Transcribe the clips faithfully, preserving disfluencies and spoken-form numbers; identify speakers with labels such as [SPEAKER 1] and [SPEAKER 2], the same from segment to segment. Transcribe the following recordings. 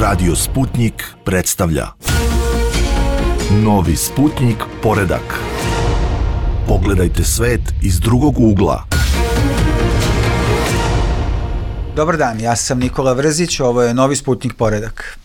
[SPEAKER 1] Radio Sputnik predstavlja Novi Sputnik poredak. Pogledajte svet iz drugog ugla.
[SPEAKER 2] Dobar dan, ja sam Nikola Vrzić, ovo je Novi Sputnik poredak.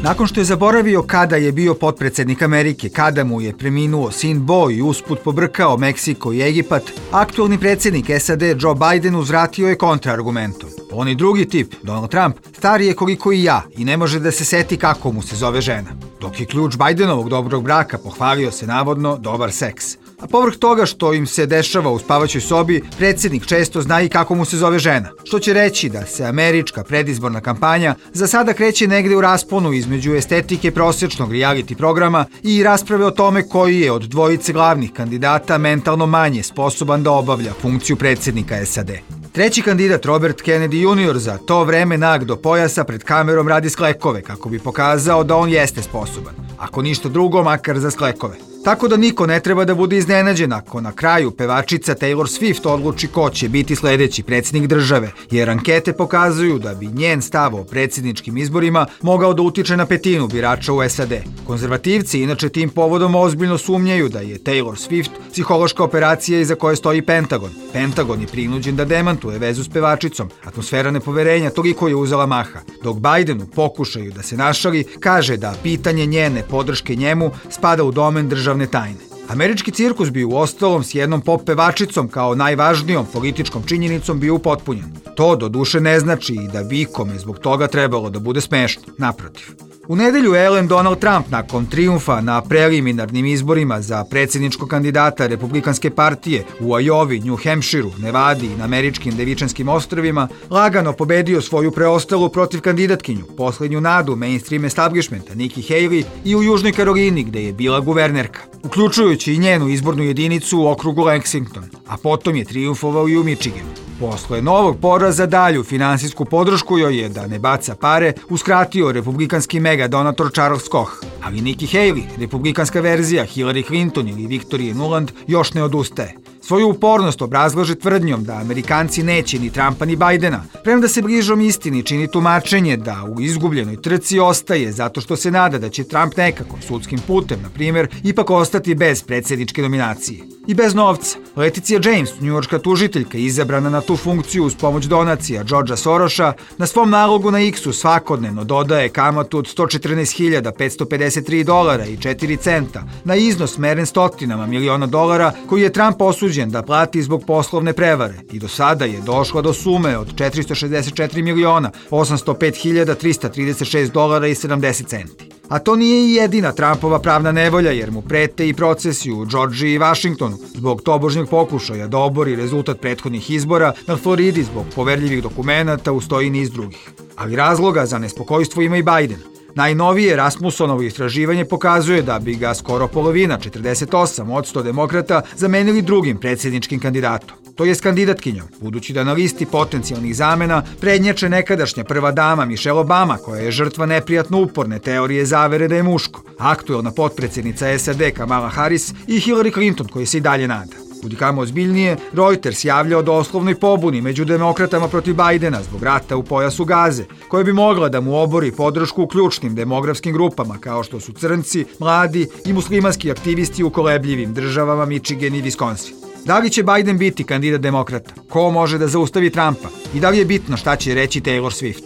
[SPEAKER 2] Nakon što je zaboravio kada je bio potpredsednik Amerike, kada mu je preminuo sin Bo i usput pobrkao Meksiko i Egipat, aktualni predsednik S A D Joe Biden uzvratio je kontraargumentom. On i drugi tip, Donald Trump, star je koliko i ja i ne može da se seti kako mu se zove žena. Dok je ključ Bidenovog dobrog braka pohvalio se navodno dobar seks. A povrh toga što im se dešava u spavaćoj sobi, predsednik često zna i kako mu se zove žena. Što će reći da se američka predizborna kampanja za sada kreće negde u rasponu između estetike prosječnog reality programa i rasprave o tome koji je od dvojice glavnih kandidata mentalno manje sposoban da obavlja funkciju predsednika S A D. Treći kandidat, Robert Kennedy junior, za to vreme nag do pojasa pred kamerom radi sklekove kako bi pokazao da on jeste sposoban. Ako ništa drugo, makar za sklekove. Tako da niko ne treba da bude iznenađen ako na kraju pevačica Taylor Swift odluči ko će biti sledeći predsednik države, jer ankete pokazuju da bi njen stav o predsedničkim izborima mogao da utiče na petinu birača u S A D. Konzervativci inače tim povodom ozbiljno sumnjaju da je Taylor Swift psihološka operacija iza koje stoji Pentagon. Pentagon je prinuđen da demantuje vezu s pevačicom. Atmosfera nepoverenja toliko je uzela maha, dok Biden u pokušaju da se našali kaže da pitanje njene podrške njemu spada u domen državne tajne. Američki cirkus bi u ostalom s jednom pop pevačicom kao najvažnijom političkom činjenicom bio upotpunjen. To do duše ne znači i da bi ikome zbog toga trebalo da bude smešno, naprotiv. U nedelju je elem Donald Trump nakon trijumfa na preliminarnim izborima za predsjedničkog kandidata Republikanske partije u Ajovi, New Hampshireu, Nevadi i na američkim Devičanskim ostrvima lagano pobedio svoju preostalu protiv kandidatkinju, poslednju nadu mainstream establishmenta Nikki Haley i u Južnoj Karolini gde je bila guvernerka, uključujući i njenu izbornu jedinicu u okrugu Lexington, a potom je trijumfovao i u Michiganu. Posle novog poraza dalju finansijsku podršku joj je, da ne baca pare, uskratio republikanski mega donator Charles Koch. Ali Nikki Haley, republikanska verzija Hillary Clinton ili Victoria Nuland, još ne odustaje. Svoju upornost obrazlaže tvrdnjom da Amerikanci neće ni Trumpa ni Bidena, premda se bližom istini čini tumačenje da u izgubljenoj trci ostaje zato što se nada da će Trump nekako, sudskim putem, na primjer, ipak ostati bez predsjedničke nominacije. I bez novca. Leticia James, njujorška tužiteljka, izabrana na tu funkciju uz pomoć donacija Georgea Sorosa, na svom nalogu na X-u svakodnevno dodaje kamatu od sto četrnaest hiljada petsto pedeset tri dolara i četiri centa na iznos meren stotinama miliona dolara koji je Trump osuđen da plati zbog poslovne prevare i do sada je došla do sume od četiristo šezdeset četiri miliona osamsto pet hiljada trista trideset šest dolara i sedamdeset centi. A to nije i jedina Trumpova pravna nevolja, jer mu prete i procesi u Džordžiji i Vašingtonu zbog tobožnjeg pokušaja da obori rezultat prethodnih izbora, na Floridi zbog poverljivih dokumenata, ustoji niz drugih. Ali razloga za nespokojstvo ima i Biden. Najnovije Rasmussonovo istraživanje pokazuje da bi ga skoro polovina, četrdeset osam posto demokrata, zamenili drugim predsjedničkim kandidatom, to jest kandidatkinjom, budući da na listi potencijalnih zamena prednjače nekadašnja prva dama Michelle Obama, koja je žrtva neprijatno uporne teorije zavere da je muško, aktuelna potpredsjednica S A D Kamala Harris i Hillary Clinton, koji se i dalje nada. Kudikamo ozbiljnije, Reuters javlja o doslovnoj pobuni među demokratama protiv Bidena zbog rata u pojasu Gaze, koja bi mogla da mu obori podršku u ključnim demografskim grupama kao što su crnci, mladi i muslimanski aktivisti u kolebljivim državama Michigan i Wisconsin. Da li će Biden biti kandidat demokrata? Ko može da zaustavi Trumpa? I da li je bitno šta će reći Taylor Swift?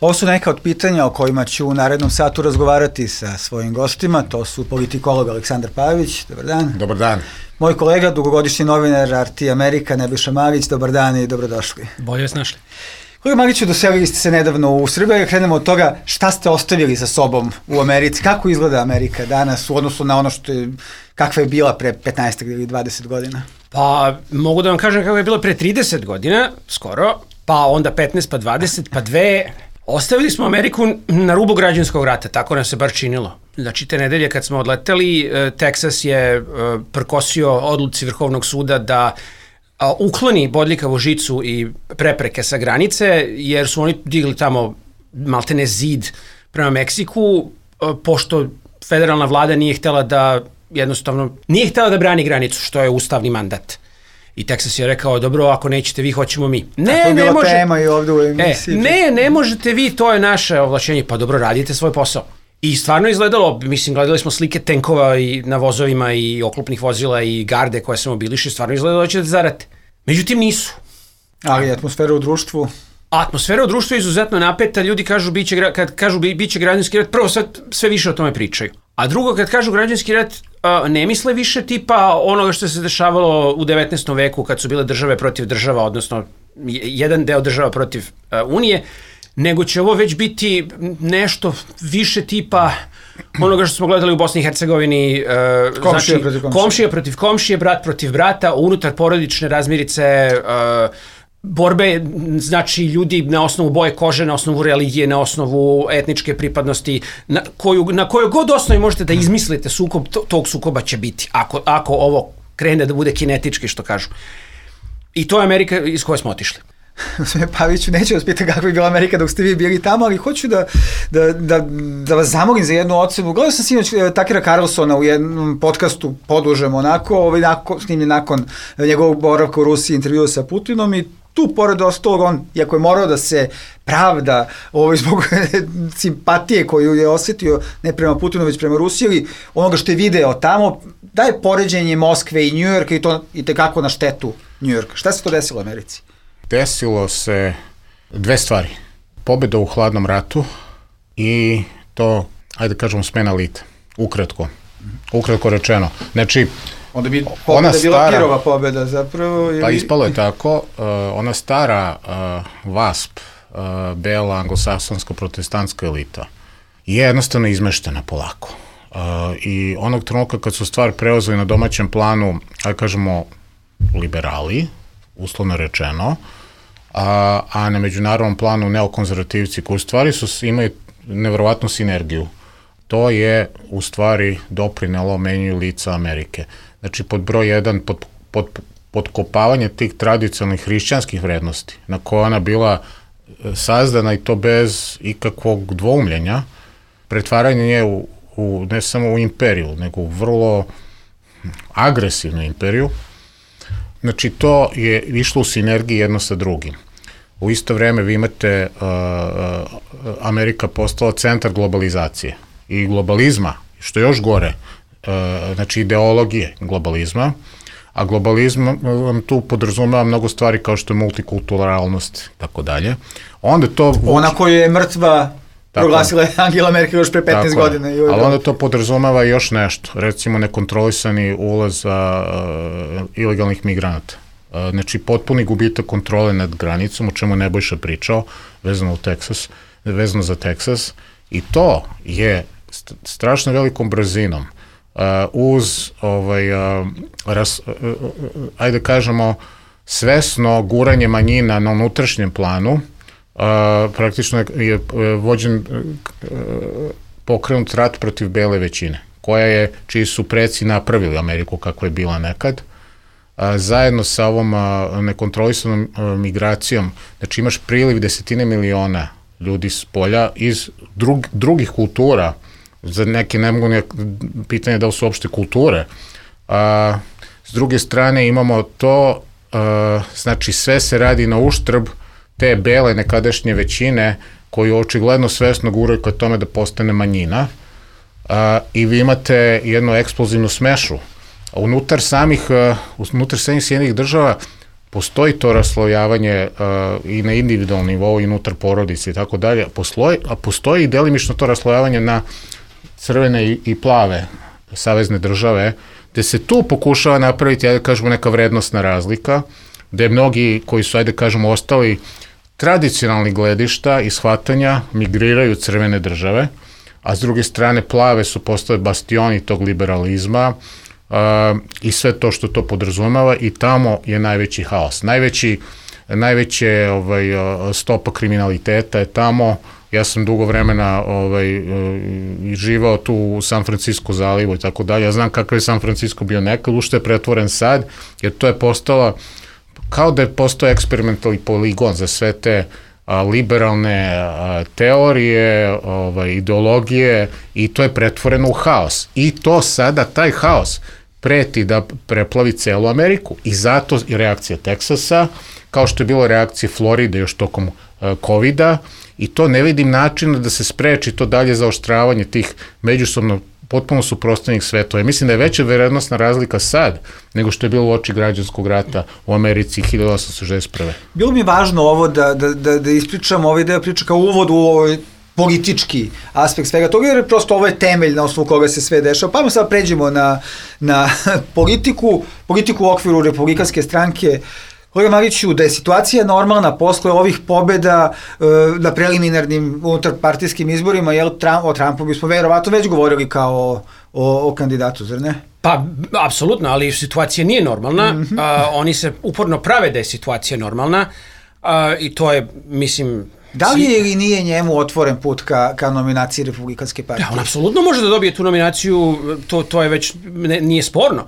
[SPEAKER 2] Ovo su neka od pitanja o kojima ću u narednom satu razgovarati sa svojim gostima. To su politikolog Aleksandar Pavić. Dobar dan.
[SPEAKER 3] Dobar dan.
[SPEAKER 2] Moj kolega, dugogodišnji novinar R T Amerika, Nebojša Marić. Dobar dan i dobrodošli.
[SPEAKER 4] Bolje vas našli.
[SPEAKER 2] Kolega Mariću, doselili ste se nedavno u Srbiju. Krenemo od toga šta ste ostavili za sobom u Americi. Kako izgleda Amerika danas u odnosu na ono što je, kakva je bila pre petnaest ili dvadeset godina?
[SPEAKER 4] Pa mogu da vam kažem kako je bila pre trideset godina, skoro, pa onda petnaest, pa dvadeset, pa dve. Ostavili smo Ameriku na rubu građanskog rata, tako nam se bar činilo. Znači, te nedelje kad smo odleteli, Teksas je prkosio odluci Vrhovnog suda da ukloni bodljikavu žicu i prepreke sa granice, jer su oni digli tamo maltene zid prema Meksiku, pošto federalna vlada nije htela da, jednostavno, nije htela da brani granicu, što je ustavni mandat. I Teksas je rekao, dobro, ako nećete vi, hoćemo mi. Ne,
[SPEAKER 2] A to je
[SPEAKER 4] ne
[SPEAKER 2] bila
[SPEAKER 4] može.
[SPEAKER 2] tema i ovdje u emisiji.
[SPEAKER 4] E, ne, ne možete vi, to je naše ovlašćenje. Pa dobro, radite svoj posao. I stvarno izgledalo, mislim, gledali smo slike tenkova i na vozovima i oklopnih vozila i garde koje se mobiliše, stvarno izgledalo da ćete zarate. Međutim, nisu.
[SPEAKER 2] Ali atmosfera u društvu...
[SPEAKER 4] Atmosfera u društvu je izuzetno napeta, ljudi kažu, biće, kad kažu biće građanski rat, prvo sve, sve više o tome pričaju. A drugo, kad kažu građanski rat, ne misle više tipa onoga što se dešavalo u devetnaestom veku kad su bile države protiv država, odnosno jedan deo država protiv Unije, nego će ovo već biti nešto više tipa onoga što smo gledali u Bosni i Hercegovini, uh,
[SPEAKER 2] komšija,
[SPEAKER 4] znači,
[SPEAKER 2] protiv komšija.
[SPEAKER 4] komšija protiv komšije, brat protiv brata, unutar porodične razmirice, uh, borbe, znači ljudi na osnovu boje kože, na osnovu religije, na osnovu etničke pripadnosti, na koju, na kojoj god osnovi možete da izmislite sukob, to, tog sukoba će biti, ako, ako ovo krene da bude kinetički, što kažu. I to je Amerika iz koje smo otišli.
[SPEAKER 2] Paviću, neću vas pitati kako je bila Amerika dok ste vi bili tamo, ali hoću da, da, da, da vas zamolim za jednu ocenu. Gledao sam sinoć Takera Carlsona u jednom podcastu podužem onako, ovaj, nakon, snimljen nakon njegovog boravka u Rusiji, intervjua sa Putinom i tu, pored ostalog, on, iako je morao da se pravda ovaj, zbog simpatije koju je osjetio ne prema Putinu, već prema Rusiji, ili onoga što je video tamo, daje poređenje Moskve i Njujorka i to i tekako na štetu Njujorka. Šta se to desilo u Americi?
[SPEAKER 3] Desilo se dve stvari. Pobjeda u hladnom ratu i to, ajde kažemo, smena elite. Ukratko. Ukratko rečeno. Znači,
[SPEAKER 2] onda bi pobjeda bila Pirova pobjeda zapravo. Ili...
[SPEAKER 3] Pa ispalo je tako. Uh, ona stara uh, V A S P, uh, bela anglosaksonska protestantska elita, je jednostavno izmeštena polako. Uh, I onog trenutka kad su stvar preuzeli na domaćem planu, ajde kažemo, liberali, uslovno rečeno, a, a na međunarodnom planu neokonzervativci koji u stvari su, imaju nevjerovatnu sinergiju. To je u stvari doprinelo menju lica Amerike. Znači pod broj jedan, pod, pod, podkopavanje tih tradicionalnih hrišćanskih vrednosti na koje ona bila sazdana i to bez ikakvog dvoumljenja, pretvaranje nje u, u, ne samo u imperiju, nego u vrlo agresivnu imperiju. Znači, to je išlo u sinergiji jedno sa drugim. U isto vreme vi imate, uh, uh, Amerika postala centar globalizacije i globalizma, što je još gore, uh, znači ideologije globalizma, a globalizam vam tu podrazumeva mnogo stvari kao što je multikulturalnost, tako dalje. Onda to...
[SPEAKER 2] Ona koja je mrtva... Tako, proglasila je Angela Merkel još pre petnaest godina.
[SPEAKER 3] Je, ali onda to podrazumeva još nešto, recimo nekontrolisani ulaz a, uh, ilegalnih migranata. Uh, znači potpuni gubitak kontrole nad granicom, o čemu Nebojša pričao, vezano, u Teksas, vezano za Teksas, i to je st- strašno velikom brzinom uh, uz, ovaj, uh, ras, uh, uh, ajde kažemo, svesno guranje manjina na unutrašnjem planu. Uh, praktično je, je vođen uh, pokrenut rat protiv bele većine, koja je, čiji su preci napravili Ameriku kako je bila nekad, uh, zajedno sa ovom uh, nekontrolisanom uh, migracijom. Znači imaš priliv desetine miliona ljudi s polja iz drug, drugih kultura, za neke ne mogu ne, pitanje da li su uopšte kulture. Uh, s druge strane imamo to, uh, znači sve se radi na uštrb te bele nekadašnje većine koju očigledno svesno guraju ka tome da postane manjina, a, i vi imate jednu eksplozivnu smešu. Unutar samih, uh, unutar samih Sjedinjenih država postoji to raslojavanje uh, i na individualnom nivou i unutar porodice i tako dalje, a postoji i delimično to raslojavanje na crvene i, i plave savezne države, gde se tu pokušava napraviti, ajde kažemo, neka vrednostna razlika, gde mnogi koji su, ajde kažemo, ostali tradicionalni gledišta i shvatanja migriraju crvene države, a s druge strane plave su postale bastioni tog liberalizma uh, i sve to što to podrazumeva, i tamo je najveći haos. Najveći, najveće ovaj, stopa kriminaliteta je tamo. Ja sam dugo vremena ovaj, uh, živao tu u San Francisco zalivu i tako dalje. Ja znam kakav je San Francisco bio nekad, u što je pretvoren sad, jer to je postala kao da je postao eksperimentalni poligon za sve te a, liberalne a, teorije, ovaj, ideologije, i to je pretvoreno u haos. I to sada, taj haos, preti da preplavi celu Ameriku. I zato je reakcija Teksasa, kao što je bilo reakcija Floride još tokom uh, kovida, i to ne vidim načina da se spreči to dalje zaoštravanje tih međusobno potpuno suprotstavljenih svetova. Mislim da je veća verovatnosna razlika sad nego što je bilo u oči građanskog rata u Americi hiljadu osamsto šezdeset prve.
[SPEAKER 2] Bilo mi važno ovo da, da, da, da ispričam ovaj deo priče kao uvod u ovaj politički aspekt svega toga, jer prosto ovo je temelj na osnovu koga se sve dešava. Pa sad pređemo na, na politiku, politiku u okviru Republikanske stranke. Kolega Mariću, da je situacija normalna posle ovih pobeda e, na preliminarnim unutarpartijskim izborima, jel, Trump, o Trumpu bismo verovatno već govorili kao o, o kandidatu, zar ne?
[SPEAKER 4] Pa, apsolutno, ali situacija nije normalna. Mm-hmm. A, oni se uporno prave da je situacija normalna a, i to je, mislim...
[SPEAKER 2] Da li je ili nije njemu otvoren put ka, ka nominaciji Republikanske partije?
[SPEAKER 4] Da, on apsolutno može da dobije tu nominaciju, to, to je već, ne, nije sporno.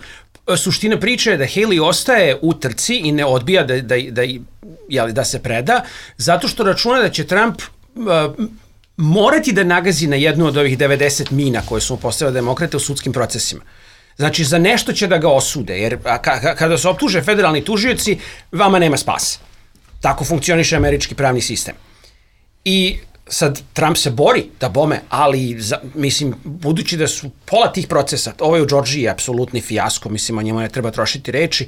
[SPEAKER 4] Suština priče je da Haley ostaje u trci i ne odbija da, da, da, jeli, da se preda, zato što računa da će Trump uh, morati da nagazi na jednu od ovih devedeset mina koje su mu postavili demokrate u sudskim procesima. Znači, za nešto će da ga osude, jer a, ka, kada se optuže federalni tužioci, vama nema spasa. Tako funkcioniše američki pravni sistem. I sad Trump se bori da bome, ali za, mislim, budući da su pola tih procesa, ovo je u Džordžiji apsolutni fijasko, mislim, o njemu ne treba trošiti reči,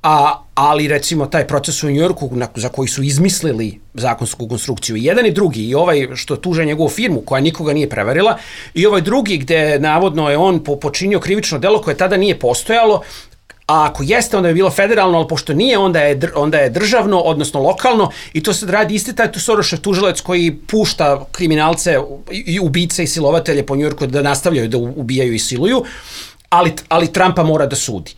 [SPEAKER 4] a, ali recimo taj proces u Njujorku na, za koji su izmislili zakonsku konstrukciju, i jedan i drugi, i ovaj što tuže njegovu firmu koja nikoga nije prevarila, i ovaj drugi gde navodno je on po, počinio krivično delo koje tada nije postojalo, a ako jeste, onda je bilo federalno, ali pošto nije, onda je, onda je državno, odnosno lokalno, i to sad radi isti taj Sorosov tužilac koji pušta kriminalce i ubice i silovatelje po Njujorku da nastavljaju da ubijaju i siluju, ali, ali Trumpa mora da sudi.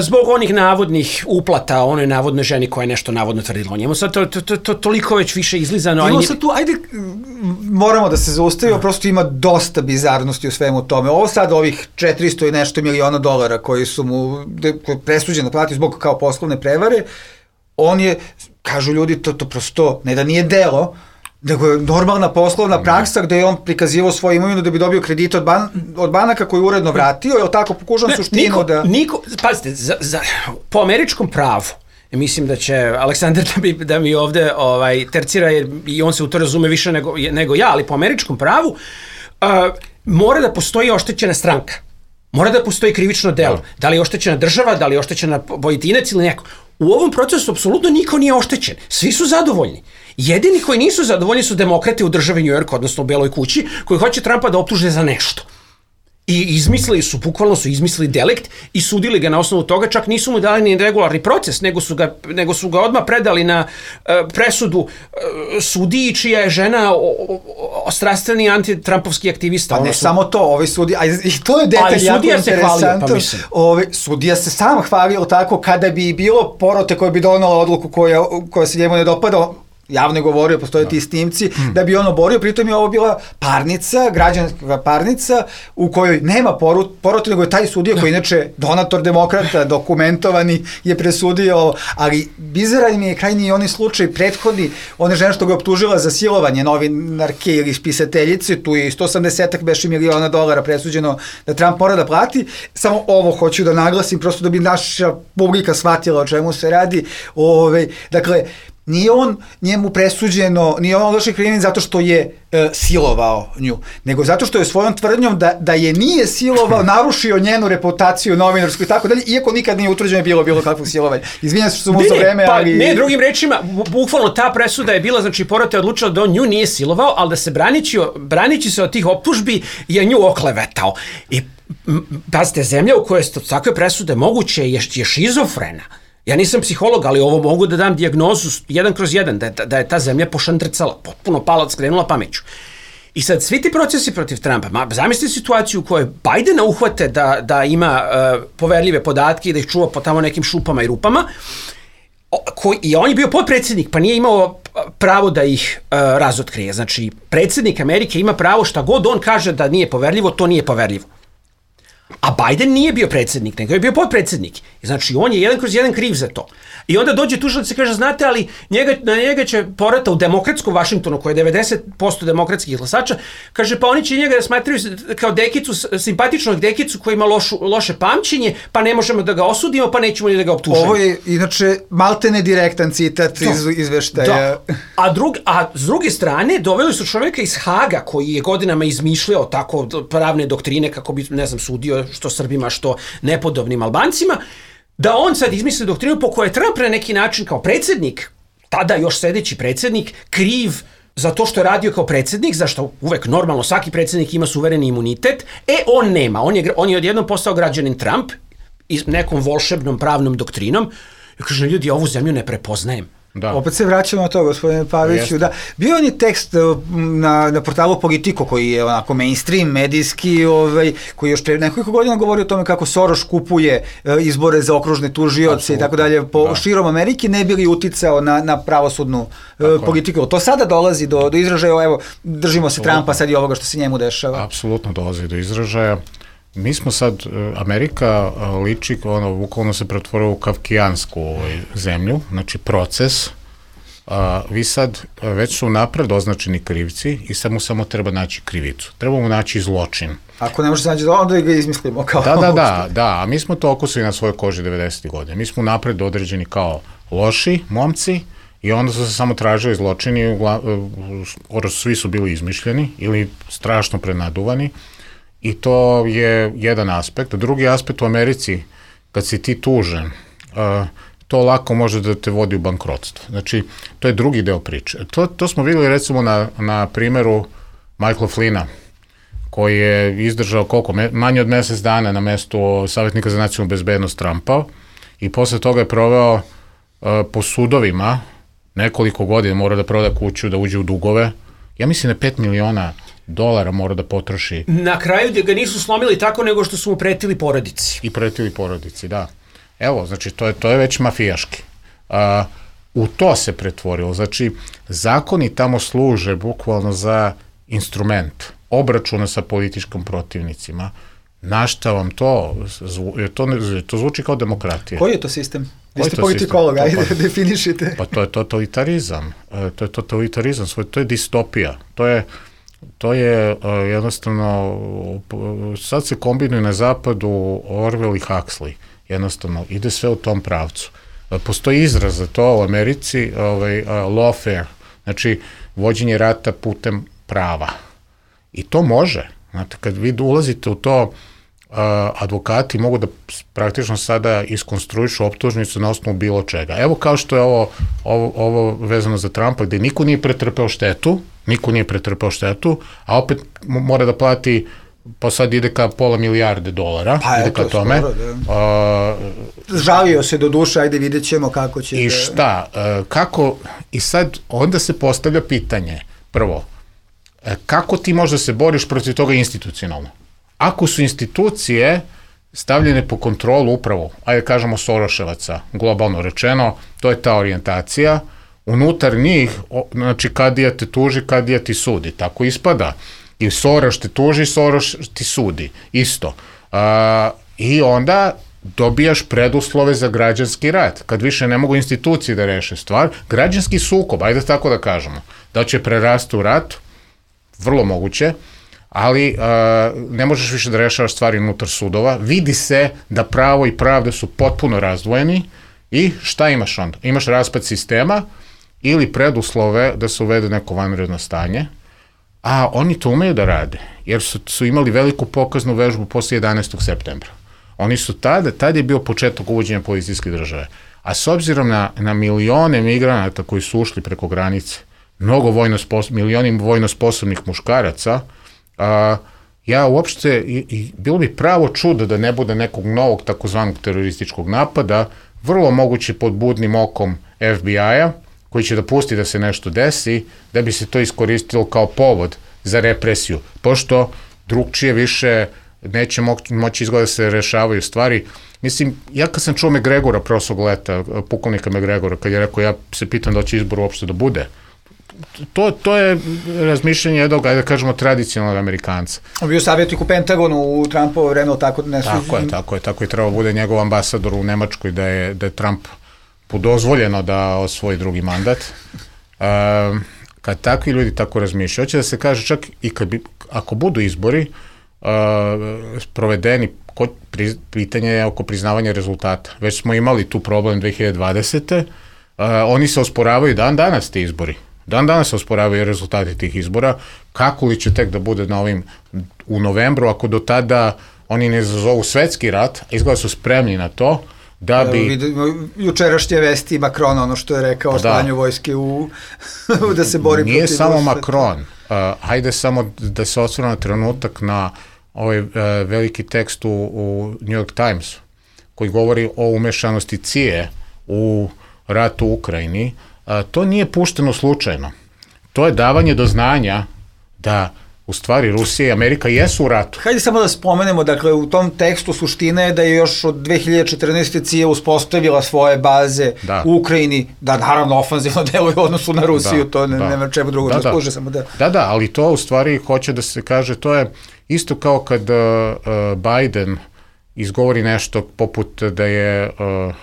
[SPEAKER 4] Zbog onih navodnih uplata onoj navodnoj ženi koja je nešto navodno tvrdila o njemu. Sad to, to, to, to toliko već više izlizano.
[SPEAKER 2] Evo sad tu, ajde, moramo da se zaustavimo, prosto ima dosta bizarnosti u svemu tome. Ovo sad ovih četiristo i nešto miliona dolara koji su mu presuđeno platiti zbog kao poslovne prevare, on je, kažu ljudi, to, to prosto, ne da nije delo, nego je normalna poslovna praksa gde je on prikazivao svoju imovinu da bi dobio kredite od, ban, od banaka koji je uredno vratio, je tako pokušam suštinu
[SPEAKER 4] niko,
[SPEAKER 2] da...
[SPEAKER 4] Niko, pazite, za, za, po američkom pravu, mislim da će Aleksandar da mi, da mi ovde ovaj, tercira, jer i on se u to razume više nego, nego ja, ali po američkom pravu uh, mora da postoji oštećena stranka. Mora da postoji krivično delo. Da li je oštećena država, da li je oštećena pojedinac ili neko. U ovom procesu apsolutno niko nije oštećen. Svi su zadovoljni. Jedini koji nisu zadovoljni su demokrate u državi New York, odnosno u Beloj kući, koji hoće Trumpa da optuže za nešto. I izmislili su, bukvalno su izmislili delikt i sudili ga na osnovu toga, čak nisu mu dali ni regularni proces, nego su ga, nego su ga odmah predali na uh, presudu uh, sudiji čija je žena ostrastveni antitrampovski aktivista.
[SPEAKER 2] Pa ne
[SPEAKER 4] su...
[SPEAKER 2] samo to, ovaj sudija, a i to je detalj jako interesantan. Pa ovaj, sudija se sam hvalio tako kada bi bilo porote koje bi donala odluku koja, koja se njemu ne dopada, javno je govorio, postoje ti snimci, mm. da bi on oborio, pritom je ovo bila parnica, građanska parnica, u kojoj nema porote, nego je taj sudija, koji inače donator demokrata, dokumentovani, je presudio, ali bizaran mi je krajnji onaj slučaj prethodni, one žene što ga je optužila za silovanje novinarke ili spisateljice, tu je sto osamdeset beše miliona dolara presuđeno da Trump mora da plati, samo ovo hoću da naglasim, prosto da bi naša publika shvatila o čemu se radi, ove, dakle, nije on njemu presuđeno, nije on odložen krivim zato što je e, silovao nju, nego zato što je svojom tvrdnjom da, da je nije silovao, narušio njenu reputaciju novinarsku i tako dalje, iako nikad nije utvrđeno bilo bilo kakvog silovanja. Izvinjam se što sam uzeo vreme,
[SPEAKER 4] pa,
[SPEAKER 2] ali...
[SPEAKER 4] Ne, drugim rečima, bukvalno ta presuda je bila, znači Porota je odlučila da on nju nije silovao, ali da se branići, branići se od tih optužbi je nju oklevetao. I pazite, zemlja u kojoj je takve presude moguće je, je šizofrena. Ja nisam psiholog, ali ovo mogu da dam dijagnozu jedan kroz jedan, da je, da je ta zemlja pošandrcala, potpuno pala, skrenula pameću. I sad, svi ti procesi protiv Trumpa, ma, zamislite situaciju u kojoj Bidena uhvate da, da ima uh, poverljive podatke i da ih čuva po tamo nekim šupama i rupama, o, koji, i on je bio potpredsjednik, pa nije imao pravo da ih uh, razotkrije. Znači, predsjednik Amerike ima pravo šta god on kaže da nije poverljivo, to nije poverljivo. A Biden nije bio predsjednik, nego je bio potpredsjednik. Znači, on je jedan kroz jedan kriv za to. I onda dođe tužilac i kaže, znate, ali njega, na njega će porata u demokratskom Vašingtonu, koje je devedeset posto demokratskih glasača, kaže, pa oni će njega da smatraju kao dekicu, simpatičnog dekicu koji ima lošu, loše pamćenje, pa ne možemo da ga osudimo, pa nećemo ni da ga optužimo.
[SPEAKER 2] Ovo je, inače, maltene direktan citat
[SPEAKER 4] da.
[SPEAKER 2] iz izveštaja.
[SPEAKER 4] Da. A, drug, a s druge strane, doveli su čoveka iz Haga, koji je godinama izmišljao tako pravne doktrine, kako bi, ne znam, sudio što Srbima, što nepodobnim Albancima, da on sad izmisli doktrinu po kojoj je Trump na neki način kao predsjednik, tada još sedeći predsjednik, kriv za to što je radio kao predsjednik, zašto uvek normalno svaki predsjednik ima suvereni imunitet, e on nema, on je, on je odjednom postao građanin Trump i nekom volšebnom pravnom doktrinom i kaže, ljudi, ovu zemlju ne prepoznajem.
[SPEAKER 2] Da. Opet se vraćamo na to, gospodine Paviću. Da. Bio on je tekst na, na portalu Politico, koji je onako mainstream, medijski, ovaj, koji još pre nekoliko godina govori o tome kako Soros kupuje izbore za okružne tužioce i tako dalje po da. širom Amerike, ne bi li uticao na, na pravosudnu tako politiku. To sada dolazi do, do izražaja, evo, držimo se Absolutno. Trumpa sad i ovoga što se njemu dešava.
[SPEAKER 3] Apsolutno dolazi do izražaja. Mi smo sad, Amerika liči, ono, bukvalno se pretvorila u kafkijansku ovaj, zemlju, znači proces. A, vi sad, već su napred označeni krivci i sad mu samo treba naći krivicu. Treba mu naći zločin.
[SPEAKER 2] Ako ne može se naći, onda ga izmislimo kao...
[SPEAKER 3] Da, da, da, da, a mi smo to okusili na svojoj koži devedesetih godine. Mi smo napred određeni kao loši momci i onda su se samo tražili zločini, svi su bili izmišljeni ili strašno prenaduvani. I to je jedan aspekt. Drugi aspekt u Americi, kad si ti tužen, uh, to lako može da te vodi u bankrotstvo. Znači, to je drugi deo priče. To, to smo videli recimo na, na primjeru Michaela Flynna, koji je izdržao koliko, manje od mesec dana na mestu savjetnika za nacionalnu bezbednost Trumpa i posle toga je proveo uh, po sudovima nekoliko godina, mora da proda kuću, da uđe u dugove. Ja mislim da pet miliona dolara mora da potroši.
[SPEAKER 4] Na kraju da ga nisu slomili tako nego što su mu pretili porodici.
[SPEAKER 3] I pretili porodici, da. Evo, znači, to je, to je već mafijaški. A, u to se pretvorilo. Znači, zakoni tamo služe bukvalno za instrument obračuna sa političkim protivnicima. Na šta vam to? To, to zvuči kao demokratija.
[SPEAKER 2] Koji je to sistem? Vi ste politikolog, ajde, pa, definišite.
[SPEAKER 3] Pa to je totalitarizam. To je totalitarizam, to je distopija. To je To je uh, jednostavno, sad se kombinuju na zapadu Orwell i Huxley, jednostavno, ide sve u tom pravcu. Uh, postoji izraz za to u Americi, ovaj, uh, lawfare, znači vođenje rata putem prava. I to može, znate, kad vi ulazite u to, uh, advokati mogu da praktično sada iskonstruišu optužnicu na osnovu bilo čega. Evo kao što je ovo, ovo, ovo vezano za Trumpa, gde niko nije pretrpeo štetu, niko nije pretrpao štetu, a opet mora da plati, pa sad ide ka pola milijarde dolara,
[SPEAKER 2] pa
[SPEAKER 3] ide
[SPEAKER 2] eto,
[SPEAKER 3] ka tome.
[SPEAKER 2] Skoro, da. Uh, Žalio se do duše, ajde vidjet ćemo kako će...
[SPEAKER 3] I
[SPEAKER 2] da...
[SPEAKER 3] šta, uh, kako, i sad onda se postavlja pitanje, prvo, uh, kako ti možda se boriš protiv toga institucionalno? Ako su institucije stavljene po kontrolu upravo, ajde kažemo Soroševaca, globalno rečeno, to je ta orijentacija, unutar njih, znači kadija te tuži, kadija ti sudi, tako ispada. I Soros te tuži, Soros ti sudi, isto. A, I onda dobijaš preduslove za građanski rat, kad više ne mogu institucije da reše stvar, građanski sukob, ajde tako da kažemo, da će prerasti u rat, vrlo moguće, ali a, ne možeš više da rešavaš stvari unutar sudova, vidi se da pravo i pravda su potpuno razdvojeni i šta imaš onda? Imaš raspad sistema ili preduslove da se uvede neko vanredno stanje, a oni to umeju da rade, jer su, su imali veliku pokaznu vežbu posle jedanaestog septembra. Oni su tada, tada je bio početak uvođenja policijske države, a s obzirom na, na milione migranata koji su ušli preko granice, mnogo vojno spos, milioni vojno sposobnih muškaraca, a, ja uopšte, i, i bilo bi pravo čudo da ne bude nekog novog takozvanog terorističkog napada, vrlo moguće pod budnim okom F B I-a, koji će da pusti da se nešto desi, da bi se to iskoristilo kao povod za represiju, pošto drugčije više neće mo moći izgleda da se rešavaju stvari. Mislim, ja kad sam čuo McGregora prošlog leta, pukovnika McGregora, kad je rekao, ja se pitam da će izbor uopšte da bude, to, to je razmišljanje jednog, ajde da kažemo, tradicionalnog Amerikanca.
[SPEAKER 2] On bio savjetnik u Pentagonu u Trumpovo vreme, ali tako ne su...
[SPEAKER 3] Tako je, tako je, tako je trebao bude njegov ambasador u Nemačkoj, da je, da je Trump dozvoljeno da osvoji drugi mandat. Um, kad takvi ljudi tako razmišljaju, hoće da se kaže čak i kad bi, ako budu izbori uh, provedeni, kod, pri, pitanje je oko priznavanja rezultata. Već smo imali tu problem dve hiljade dvadesete. Uh, oni se osporavaju dan danas ti izbori. Dan danas se osporavaju rezultati tih izbora. Kako li će tek da bude na ovim u novembru, ako do tada oni ne zazovu svetski rat, a izgleda su spremni na to, da bi...
[SPEAKER 2] Vidimo jučerašnje vesti Macron, ono što je rekao o slanju vojske u... da se bori protiv...
[SPEAKER 3] Nije samo Macron. Uh, hajde samo da se osvrne na trenutak na ovaj uh, veliki tekst u, u New York Timesu, koji govori o umešanosti C I A u ratu u Ukrajini. Uh, to nije pušteno slučajno. To je davanje do znanja da u stvari Rusija i Amerika jesu u ratu.
[SPEAKER 2] Hajde samo da spomenemo, dakle, u tom tekstu suština je da je još od dve hiljade četrnaeste. C I A uspostavila svoje baze da. u Ukrajini, da naravno ofanzivno deluje u odnosu na Rusiju, da, to ne, da. nema čemu drugo da, da služe, samo da...
[SPEAKER 3] Da, da, ali to u stvari hoće da se kaže, to je isto kao kad uh, Biden izgovori nešto poput da je uh,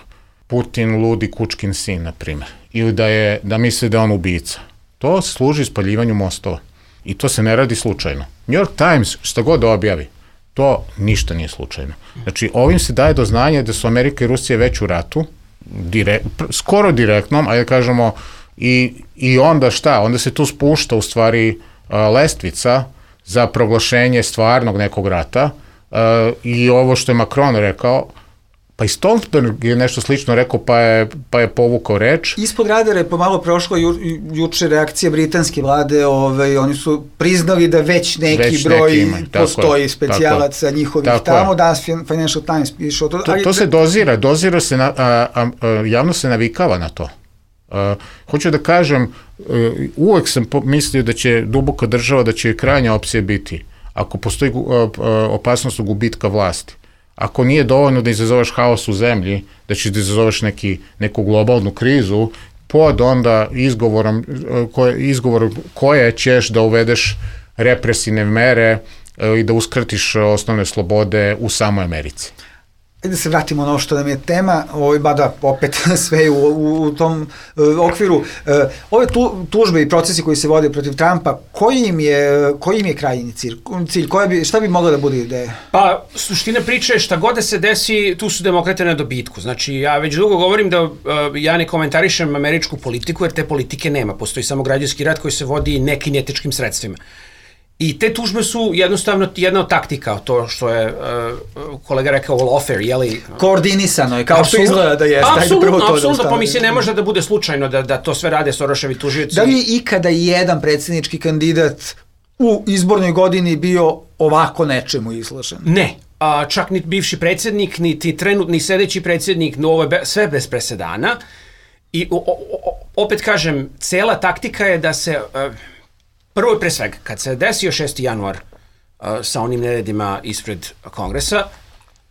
[SPEAKER 3] Putin ludi kučkin sin, na primjer, ili da, je, da misli da je on ubica. To služi spaljivanju mostova. I to se ne radi slučajno. New York Times, šta god objavi, to ništa nije slučajno. Znači, ovim se daje do znanja da su Amerika i Rusija već u ratu, direkt, skoro direktnom, ajde kažemo, i, i onda šta? Onda se tu spušta u stvari uh, lestvica za proglašenje stvarnog nekog rata uh, i ovo što je Macron rekao, pa i Stoltenberg je nešto slično rekao, pa je, pa je povukao reč.
[SPEAKER 2] Ispod radara je pomalo prošla ju, juče reakcija britanske vlade, ovaj, oni su priznali da već neki već broj neki ima, postoji specijalaca njihovih tako tamo, danas Financial Times piše o to.
[SPEAKER 3] To, to se dozira, dozira se, na, a, a, a, javno se navikava na to. A, hoću da kažem, uvek sam mislio da će duboka država, da će krajnja opcija biti, ako postoji a, a, opasnost gubitka vlasti. Ako nije dovoljno da izazoveš haos u zemlji, da ćeš da izazoveš neki, neku globalnu krizu, pod onda izgovorom koje, izgovorom koje ćeš da uvedeš represivne mere i da uskratiš osnovne slobode u samoj Americi.
[SPEAKER 2] Da se vratimo na ovo što nam je tema, ovaj, bada opet sve u, u, u tom uh, okviru. Uh, ove tu, tužbe i procesi koji se vode protiv Trumpa, koji im je, koji im je krajnji cilj? cilj koja bi, šta bi mogla da bude ideja?
[SPEAKER 4] Pa, suština priče je šta god da se desi, tu su demokrate na dobitku. Znači, ja već dugo govorim da uh, ja ne komentarišem američku politiku, jer te politike nema. Postoji samo građanski rat koji se vodi nekinetičkim sredstvima. I te tužbe su jednostavno jedna od taktika, to što je uh, kolega rekao lawfare, jeli...
[SPEAKER 2] Koordinisano je, kao što izgleda da jeste.
[SPEAKER 4] Apsolutno, apsolutno, pa mislim ne može da bude slučajno da, da to sve rade Soroševi tužioci.
[SPEAKER 2] Da li je ikada jedan predsjednički kandidat u izbornoj godini bio ovako nečemu izložen?
[SPEAKER 4] Ne, a, čak ni bivši predsjednik, niti trenutni sedeći predsjednik, no ovo je be, sve bez presedana. I o, o, opet kažem, cela taktika je da se... Uh, Prvo i pre svega, kad se desio šesti januar uh, sa onim neredima ispred Kongresa,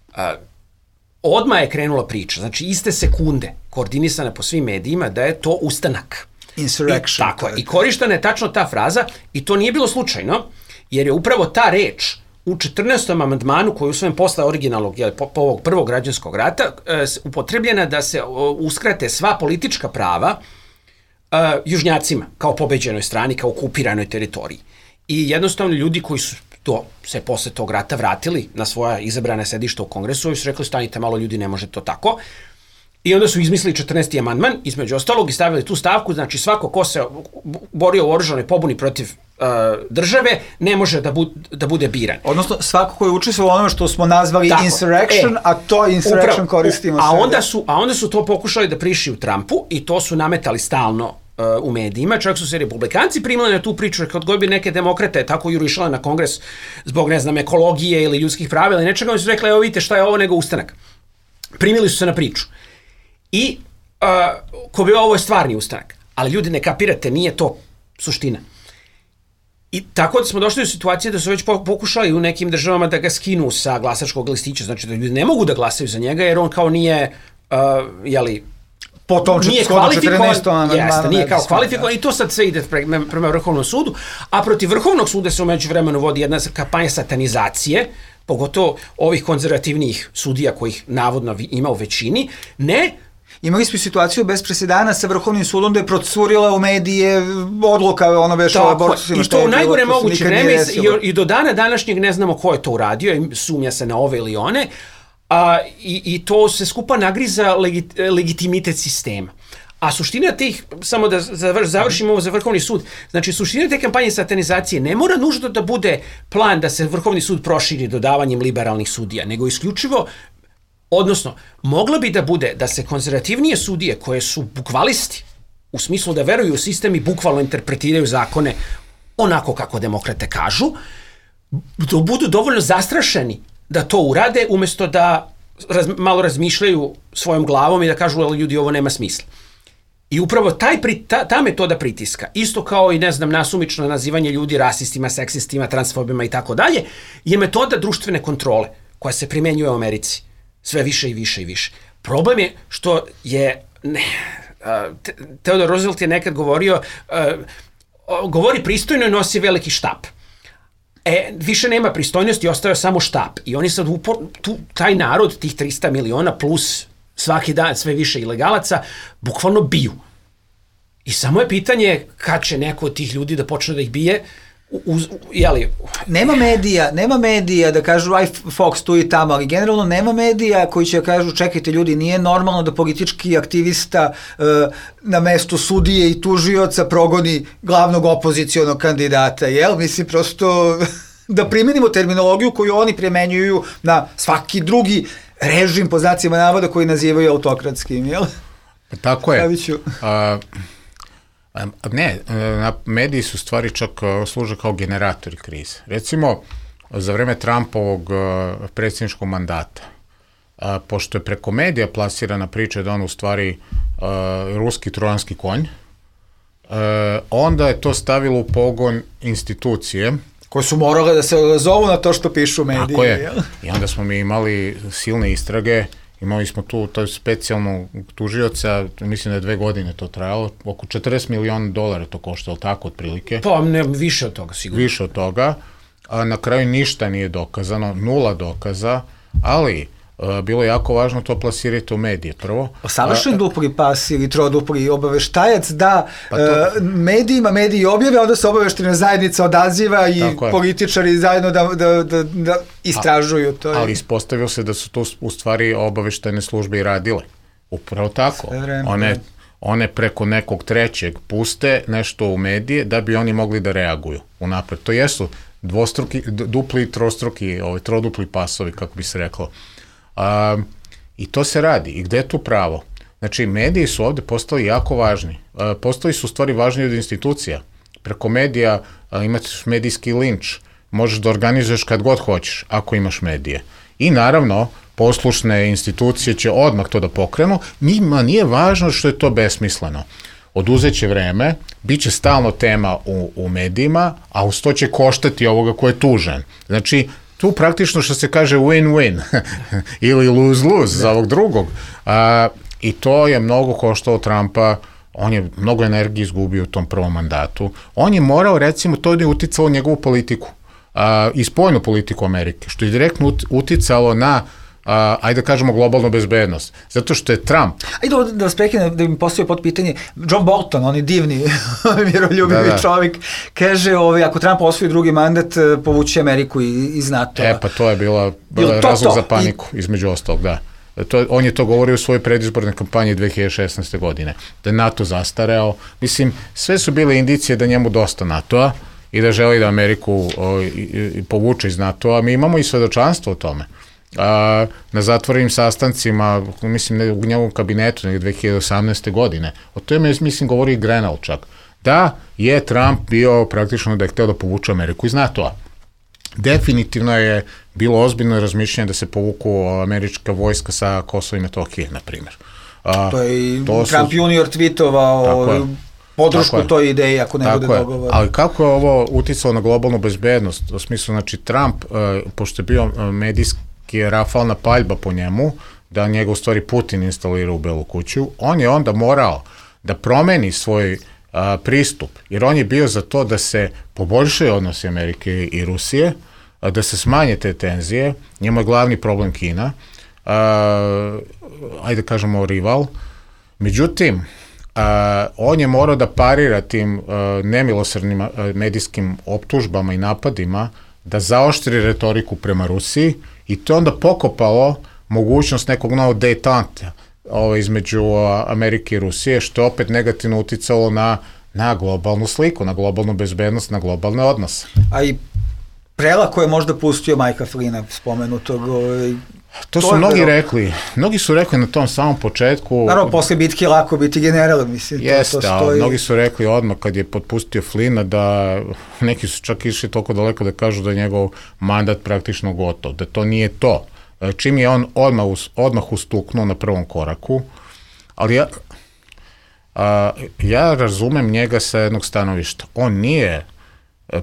[SPEAKER 4] uh, odmah je krenula priča, znači iste sekunde, koordinisana po svim medijima, da je to ustanak.
[SPEAKER 2] Insurrection.
[SPEAKER 4] I, tako je. I korištena je tačno ta fraza, i to nije bilo slučajno, jer je upravo ta reč u četrnaestom amandmanu, koji je usvojen posle originalnog, jel, po, po ovog prvog građanskog rata, uh, upotrebljena da se uh, uskrate sva politička prava Uh, južnjacima, kao pobeđenoj strani, kao okupiranoj teritoriji. I jednostavno ljudi koji su to, se posle tog rata vratili na svoja izabrana sedišta u Kongresu i su rekli stanite malo ljudi, ne može to tako. I onda su izmislili četrnaesti amandman, između ostalog, i stavili tu stavku, znači svako ko se borio u oružanoj pobuni protiv uh, države ne može da, bu, da bude biran.
[SPEAKER 2] Odnosno svako ko je učestvovao onome što smo nazvali tako, insurrection, e, a to insurrection upravo, koristimo
[SPEAKER 4] a onda su A onda su to pokušali da prišiju Trumpu i to su nametali stalno uh, u medijima, čak su se republikanci primali na tu priču, kad god bi neke demokrate tako jurišale na Kongres zbog, ne znam, ekologije ili ljudskih pravila ili nečega, oni su rekli, evo vidite šta je ovo nego ustanak. Primili su se na priču. I uh, ko bi ovo je stvarni ustanak, ali ljudi ne kapirate, nije to suština. I tako da smo došli u situaciju da su već pokušali u nekim državama da ga skinu sa glasačkog listića, znači da ljudi ne mogu da glasaju za njega jer on kao nije, uh, jeli,
[SPEAKER 2] potom
[SPEAKER 4] nije
[SPEAKER 2] kvalifikovan,
[SPEAKER 4] jeste, nije kao kvalifikovan i to sad sve ide prema, prema Vrhovnom sudu, a protiv Vrhovnog suda se u međuvremenu vodi jedna kampanja satanizacije, pogotovo ovih konzervativnijih sudija kojih navodno ima u većini, ne.
[SPEAKER 2] Imali smo situaciju bez presedana sa Vrhovnim sudom da je procurila u medije odluka ono beše o abortusima.
[SPEAKER 4] I to u najgore moguće vreme i, i do dana današnjeg ne znamo ko je to uradio, sumnja se na ove ili one, a, i, i to se skupa nagriza legit, legitimitet sistema. A suština tih, samo da završimo ovo za Vrhovni sud, znači suština te kampanje satanizacije ne mora nužno da bude plan da se Vrhovni sud proširi dodavanjem liberalnih sudija, nego isključivo, odnosno, mogla bi da bude da se konzervativnije sudije koje su bukvalisti, u smislu da veruju u sistem i bukvalno interpretiraju zakone onako kako demokrate kažu, da budu dovoljno zastrašeni da to urade, umjesto da raz, malo razmišljaju svojom glavom i da kažu, ali ljudi, ovo nema smisla. I upravo taj, ta, ta metoda pritiska, isto kao i, ne znam, nasumično nazivanje ljudi rasistima, seksistima, transfobima i tako dalje, je metoda društvene kontrole koja se primenjuje u Americi. Sve više i više i više. Problem je što je, ne, uh, Theodore Roosevelt je nekad govorio, uh, govori pristojno i nosi veliki štap. E, više nema pristojnosti, ostaje samo štap. I oni sad, upor, tu, taj narod, tih trista miliona plus svaki dan sve više ilegalaca, bukvalno biju. I samo je pitanje kad će neko od tih ljudi da počne da ih bije, Uz, jeli?
[SPEAKER 2] Nema medija, nema medija da kažu aj Fox tu i tamo, ali generalno nema medija koji će kažu čekajte ljudi, nije normalno da politički aktivista uh, na mestu sudije i tužioca progoni glavnog opozicionog kandidata, jel? Mislim prosto da primenimo terminologiju koju oni primenjuju na svaki drugi režim po znacima navoda koji nazivaju autokratskim, jel?
[SPEAKER 3] Tako je. A, ne, mediji su stvari čak služe kao generatori krize. Recimo, za vreme Trumpovog predsjedničkog mandata, a, pošto je preko medija plasirana priča da on u stvari a, ruski trojanski konj, a, onda je to stavilo u pogon institucije
[SPEAKER 2] koje su morale da se zovu na to što pišu mediji.
[SPEAKER 3] Tako je. Jel? I onda smo mi imali silne istrage, imali smo tu to specijalnu tužioca, mislim da je dve godine to trajalo, oko četrdeset miliona dolara to koštalo, tako otprilike.
[SPEAKER 4] Pa ne, više od toga sigurno.
[SPEAKER 3] Više od toga, a na kraju ništa nije dokazano, nula dokaza, ali a, bilo je jako važno to plasirati u medije prvo.
[SPEAKER 2] Savršen dupli pas ili trodupli obaveštajac da pa to... uh, medijima mediji objave, onda se obaveštajna zajednica odaziva i političari zajedno da, da, da, da istražuju to.
[SPEAKER 3] A, ali ispostavilo se da su to u stvari obaveštajne službe i radile. Upravo tako. One, one preko nekog trećeg puste nešto u medije da bi oni mogli da reaguju unapred. To jesu dvostruki, dupli i trostruki, ovaj, trodupli pasovi, kako bi se reklo. A, i to se radi. I gde je tu pravo? Znači, mediji su ovde postali jako važni. A, postali su u stvari važniji od institucija. Preko medija a, imaš medijski linč. Možeš da organizuješ kad god hoćeš, ako imaš medije. I naravno, poslušne institucije će odmah to da pokrenu. Njima nije važno što je to besmisleno. Oduzeće vreme, bit će stalno tema u, u medijima, a uz to će koštati ovoga ko je tužen. Znači, tu praktično što se kaže win-win ili lose-lose za ovog drugog. A, I to je mnogo koštalo Trumpa, on je mnogo energije izgubio u tom prvom mandatu. On je morao, recimo, to je uticalo njegovu politiku a, i spoljnu politiku Amerike, što je direktno uticalo na Uh, ajde da kažemo globalnu bezbednost. Zato što je Trump...
[SPEAKER 2] Ajde da, da vas prekinem, da mi postavio pod pitanje. John Bolton, on je divni, miroljubivi da, da. čovjek, kaže, ovaj, ako Trump osvoji drugi mandat, povući Ameriku iz NATO-a.
[SPEAKER 3] E, pa to je bila, bila to, razlog to? za paniku, I... između ostalog, da. To, on je to govorio u svojoj predizbornoj kampanji dve hiljade šesnaeste. godine. Da je NATO zastareo. Mislim, sve su bile indicije da njemu dosta NATO-a i da želi da Ameriku o, i, i, povuče iz NATO-a. Mi imamo i svedočanstvo o tome. A, na zatvorenim sastancima, mislim, ne, u njegovom kabinetu, nekde dve hiljade osamnaeste. godine. O tome, mislim, govori i Grenell čak. Da je Trump bio praktično da je hteo da povuče Ameriku iz NATO-a. Definitivno je bilo ozbiljno razmišljanje da se povuku američka vojska sa Kosova i Metohije, na primjer. A,
[SPEAKER 2] to je i to Trump su... junior tweetovao podršku toj ideji ako ne bude dogovor.
[SPEAKER 3] Ali kako je ovo uticalo na globalnu bezbednost? U smislu, znači, Trump, uh, pošto je bio medijski je rafalna paljba po njemu, da njega u stvari Putin instalira u Belu kuću, on je onda morao da promeni svoj a, pristup, jer on je bio za to da se poboljšaju odnosi Amerike i Rusije, a, da se smanje te tenzije, njemu je glavni problem Kina, a, ajde kažemo rival, međutim, a, on je morao da parira tim a, nemilosrdnim a, medijskim optužbama i napadima, da zaoštri retoriku prema Rusiji i to onda pokopalo mogućnost nekog novog detanta ovo, između Amerike i Rusije, što je opet negativno uticalo na, na globalnu sliku, na globalnu bezbednost, na globalne odnose.
[SPEAKER 2] A i prelako je možda pustio Majka Flina spomenutog. Ovaj,
[SPEAKER 3] to, to su mnogi bilo... rekli, mnogi su rekli na tom samom početku.
[SPEAKER 2] Naravno, posle bitke lako biti general, mislim.
[SPEAKER 3] Jeste,
[SPEAKER 2] to, to stoji...
[SPEAKER 3] mnogi su rekli odmah kad je potpustio Flina da neki su čak išli toliko daleko da kažu da je njegov mandat praktično gotov, da to nije to. Čim je on odmah, odmah ustuknuo na prvom koraku, ali ja, a, ja razumem njega sa jednog stanovišta. On nije,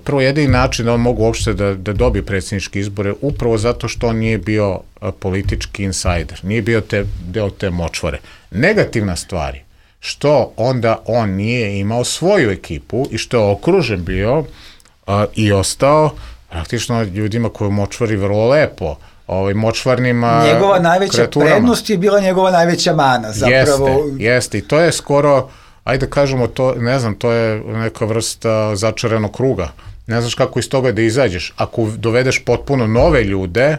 [SPEAKER 3] prvo jedini način da on mogu uopšte da, da dobije predsjedničke izbore, upravo zato što on nije bio a, politički insajder, nije bio te, deo te močvare. Negativna stvar je što onda on nije imao svoju ekipu i što je okružen bio a, i ostao praktično ljudima koji močvari vrlo lepo, ovaj, močvarnim
[SPEAKER 2] njegova najveća
[SPEAKER 3] kreaturama.
[SPEAKER 2] Prednost je bila njegova najveća mana, zapravo.
[SPEAKER 3] Jeste, jeste, i to je skoro, ajde kažemo to, ne znam, to je neka vrsta začaranog kruga. Ne znaš kako iz toga da izađeš. Ako dovedeš potpuno nove ljude,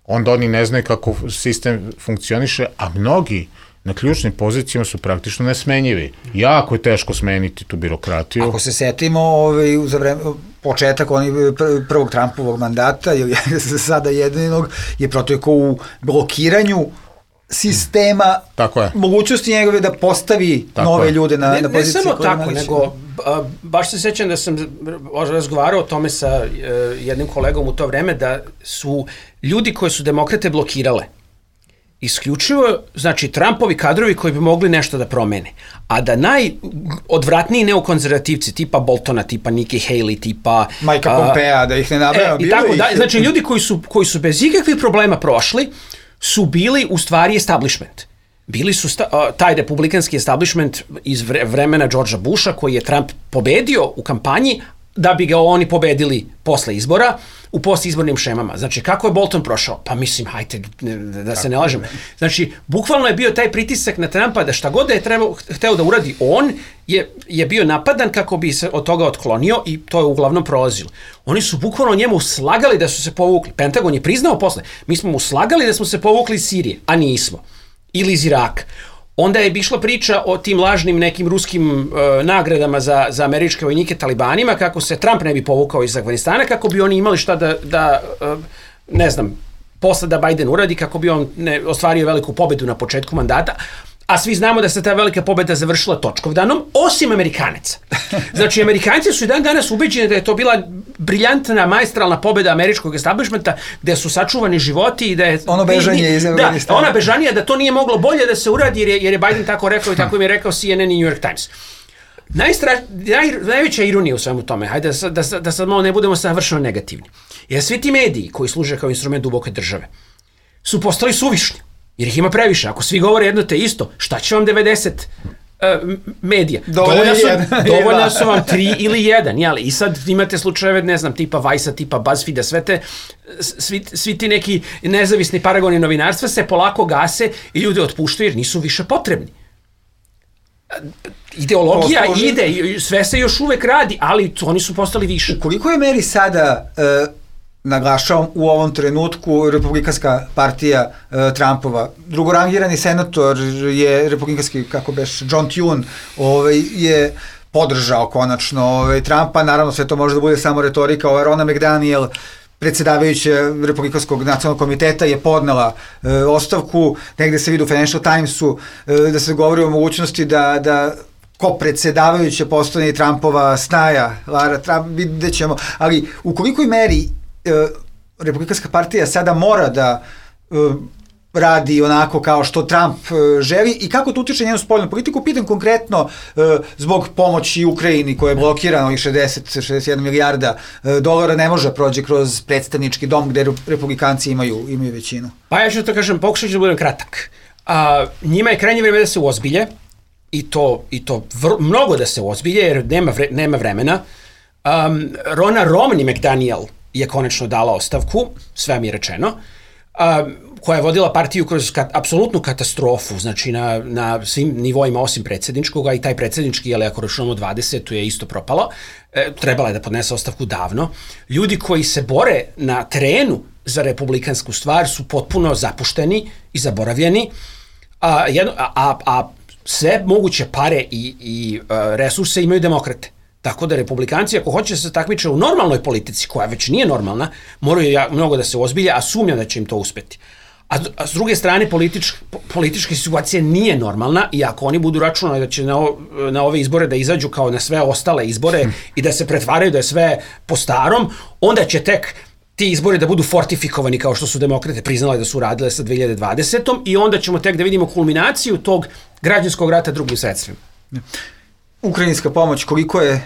[SPEAKER 3] onda oni ne znaju kako sistem funkcioniše, a mnogi na ključnim pozicijama su praktično nesmenjivi. Jako je teško smeniti tu birokratiju.
[SPEAKER 2] Ako se setimo ovaj, za vreme, početak onih prvog Trumpovog mandata, ili sada jedinog, je protekao u blokiranju sistema,
[SPEAKER 3] tako je.
[SPEAKER 2] Mogućnosti njegove da postavi tako nove je. Ljude na,
[SPEAKER 4] ne,
[SPEAKER 2] na pozicije.
[SPEAKER 4] Ne samo tako, nego a, baš se sećam da sam razgovarao o tome sa a, jednim kolegom u to vreme, da su ljudi koje su demokrate blokirale isključivo, znači, Trumpovi kadrovi koji bi mogli nešto da promene. A da najodvratniji neokonzervativci, tipa Boltona, tipa Nikki Haley, tipa...
[SPEAKER 2] Majka Pompea, da ih ne nabrajamo,
[SPEAKER 4] e, bilo tako, ih. Da, znači, ljudi koji su, koji su bez ikakvih problema prošli, su bili u stvari establishment. Bili su sta, uh, taj republikanski establishment iz vre, vremena Georgea Busha, koji je Trump pobedio u kampanji, da bi ga oni pobedili posle izbora u postizbornim šemama. Znači, kako je Bolton prošao? Pa mislim, hajte, da se ne lažemo. Znači, bukvalno je bio taj pritisak na Trumpa da šta god da je trebao, hteo da uradi on, je, je bio napadan kako bi se od toga otklonio i to je uglavnom prolazilo. Oni su bukvalno njemu slagali da su se povukli. Pentagon je priznao posle. Mi smo mu slagali da smo se povukli iz Sirije, a nismo. Ili iz Iraka. Onda je išla priča o tim lažnim nekim ruskim uh, nagradama za, za američke vojnike talibanima, kako se Trump ne bi povukao iz Afganistana, kako bi oni imali šta da, da uh, ne znam, posle da Biden uradi, kako bi on ne, ostvario veliku pobedu na početku mandata. A svi znamo da se ta velika pobeda završila točkovdanom, osim Amerikanaca. Znači, Amerikanci su i dan danas ubeđeni da je to bila briljantna, maestralna pobeda američkog establishmenta, gde su sačuvani životi i da je...
[SPEAKER 2] Ono bežanje iz Afganistana.
[SPEAKER 4] Da, ona bežanija, da to nije moglo bolje da se uradi, jer je, jer je Biden tako rekao i tako im je rekao C N N i New York Times. Najstra, naj, najveća ironija u svemu tome, hajde da, da, da sad malo ne budemo savršeno negativni, jer svi ti mediji koji služe kao instrument duboke države su postali suvišni. Jer ih ima previše. Ako svi govore jedno te isto, šta će vam devedeset uh, medija? Dovoljno su, dovoljno su vam tri ili jedan. Jeli? I sad imate slučajeve, ne znam, tipa Vice-a, tipa BuzzFeed-a, sve, te, svi, svi ti neki nezavisni paragoni novinarstva se polako gase i ljude otpuštaju jer nisu više potrebni. Ideologija Posloži. ide, sve se još uvek radi, ali oni su postali više.
[SPEAKER 2] U koliko je meri sada... Uh, naglašavam, u ovom trenutku Republikanska partija uh, Trumpova. Drugorangirani senator je republikanski, kako beš, John Thune, ovaj, je podržao konačno ovaj, Trumpa. Naravno, sve to može da bude samo retorika. Ova Ronna McDaniel, predsjedavajuća Republikanskog nacionalnog komiteta, je podnela uh, ostavku. Negde se vidi u Financial Timesu uh, da se govori o mogućnosti da, da ko predsjedavajuće postane Trumpova snaja, Lara Trump, vidjet ćemo. Ali u kolikoj meri Republikanska partija sada mora da uh, radi onako kao što Trump želi i kako to utiče njenu spoljnu politiku. Pitam konkretno zbog pomoći Ukrajini koja je blokirana ovih šezdeset do šezdeset jedna milijarda dolara ne može prođe kroz predstavnički dom gde republikanci imaju, imaju većinu.
[SPEAKER 4] Pa ja ću to kažem, pokušat ću da budem kratak. A, njima je krajnje vreme da se uozbilje i to, i to vr, mnogo da se uozbilje jer nema, vre, nema vremena. Um, Rona Romney McDaniel je konačno dala ostavku, sve mi je rečeno, um, koja je vodila partiju kroz kat, apsolutnu katastrofu, znači na, na svim nivoima osim predsjedničkog, a i taj predsjednički, ali ako računamo dvadesetu je isto propalo, e, trebala je da podnese ostavku davno. Ljudi koji se bore na terenu za republikansku stvar su potpuno zapušteni i zaboravljeni, a, jedno, a, a, a sve moguće pare i, i a, resurse imaju demokrate. Tako da republikanci, ako hoće da se takmiče u normalnoj politici, koja već nije normalna, moraju ja, mnogo da se ozbilje, a sumnjam da će im to uspeti. A, a s druge strane, politič, politička situacija nije normalna i ako oni budu računali da će na, o, na ove izbore da izađu kao na sve ostale izbore hmm. i da se pretvaraju da je sve po starom, onda će tek ti izbori da budu fortifikovani kao što su demokrate priznale da su radile sa dve hiljade dvadesetom i onda ćemo tek da vidimo kulminaciju tog građanskog rata drugim sredstvima.
[SPEAKER 2] Ukrajinska pomoć, koliko je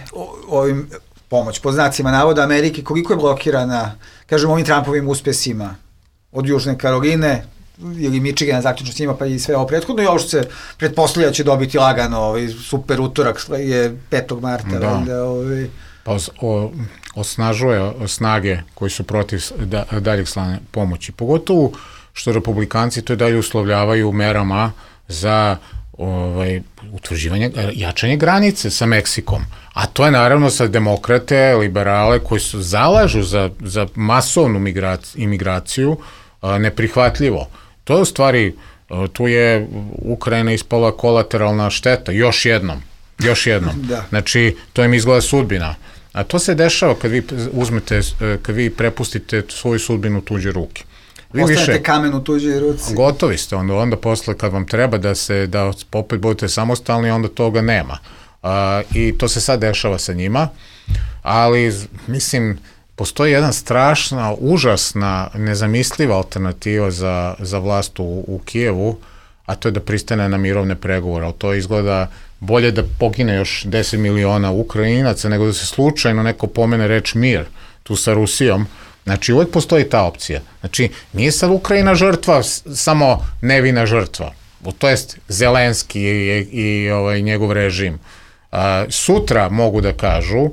[SPEAKER 2] ovim pomoć, po znacima navoda Amerike, koliko je blokirana, kažemo, ovim Trumpovim uspesima od Južne Karoline ili Michigana, zaključno s njima, pa i sve ovo prethodno i ovo što se pretpostavlja će dobiti lagano, ovaj super utorak je petog marta.
[SPEAKER 3] Da.
[SPEAKER 2] Onda, ovaj...
[SPEAKER 3] Pa o, osnažuje snage koji su protiv da, daljeg slanja pomoći. Pogotovo što republikanci to dalje uslovljavaju merama za ovaj, utvrđivanje, jačanje granice sa Meksikom. A to je naravno sa demokrate, liberale koji su zalažu za, za masovnu migraciju, imigraciju a, neprihvatljivo. To je u stvari, a, tu je Ukrajina ispala kolateralna šteta, još jednom. Još jednom. Da. Znači, to im izgleda sudbina. A to se dešava kad vi uzmete, kad vi prepustite svoju sudbinu u tuđe ruke. Vi
[SPEAKER 2] ostanete više, kamen u tuđoj ruci.
[SPEAKER 3] Gotovi ste, onda, onda posle kad vam treba da se, da opet budete samostalni, onda toga nema. A, I to se sad dešava sa njima, ali mislim, postoji jedna strašna, užasna, nezamisliva alternativa za, za vlast u, u Kijevu, a to je da pristane na mirovne pregovore. Ali to izgleda bolje da pogine još deset miliona Ukrajinaca nego da se slučajno neko pomene reč mir tu sa Rusijom. Znači, uvijek postoji ta opcija. Znači, nije sad Ukrajina žrtva, samo nevina žrtva. To jest Zelenski i, i ovaj, njegov režim. A, sutra mogu da kažu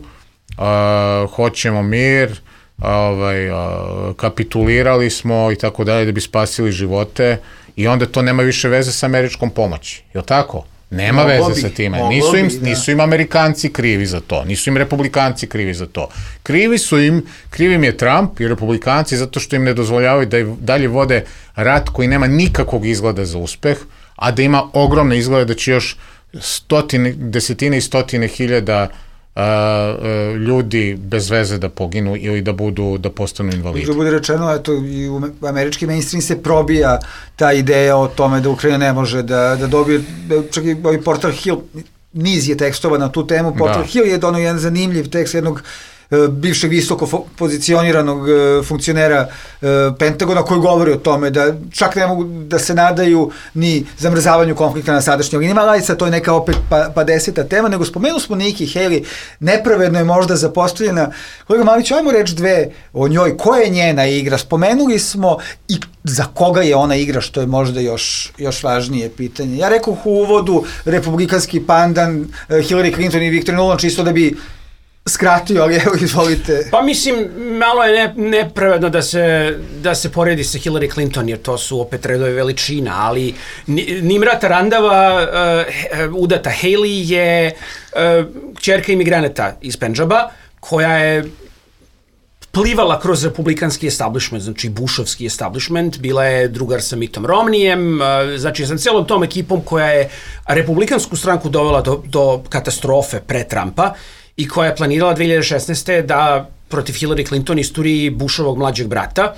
[SPEAKER 3] a, hoćemo mir, ovaj, a, kapitulirali smo i tako dalje da bi spasili živote i onda to nema više veze sa američkom pomoći. Je li tako? Nema mogo veze bi, sa time. Nisu im, bi, nisu im Amerikanci krivi za to. Nisu im Republikanci krivi za to. Krivi su im, krivi im je Trump i Republikanci zato što im ne dozvoljavaju da dalje vode rat koji nema nikakvog izgleda za uspeh, a da ima ogromne izglede da će još stotine, desetine i stotine hiljada Uh, uh, ljudi bez veze da poginu ili da budu, da postanu invalidi.
[SPEAKER 2] Da bude rečeno, eto, i u američki mainstream se probija ta ideja o tome da Ukrajina ne može da, da dobije, čak i ovaj portal Hill, niz je tekstova na tu temu, portal da. Hill je donao jedan zanimljiv tekst jednog bivšeg visoko pozicioniranog funkcionera Pentagona koji govori o tome da čak ne mogu da se nadaju ni zamrzavanju konflikta na sadašnjoj liniji, ali sad to je neka opet pa, pa deseta tema, nego spomenuli smo Nikki Haley, nepravedno je možda zapostavljena. Kolega Mamić, ajmo reći dve o njoj, koja je njena igra, spomenuli smo i za koga je ona igra, što je možda još, još važnije pitanje. Ja rekao u uvodu republikanski pandan Hillary Clinton i Viktor Nuland, čisto da bi skratio, ali evo, izvolite.
[SPEAKER 4] Pa mislim, malo je ne, nepravedno da se, da se poredi sa Hillary Clinton, jer to su opet redove veličina, ali Nimra Tarandava, uh, udata Haley je uh, kćerka imigranata iz Pendžaba, koja je plivala kroz republikanski establishment, znači Bushovski establishment, bila je drugar sa Mittom Romneyem, znači sa celom tom ekipom koja je republikansku stranku dovela do, do katastrofe pre Trumpa i koja je planirala dve hiljade šesnaeste. da protiv Hillary Clinton isturi Bushovog mlađeg brata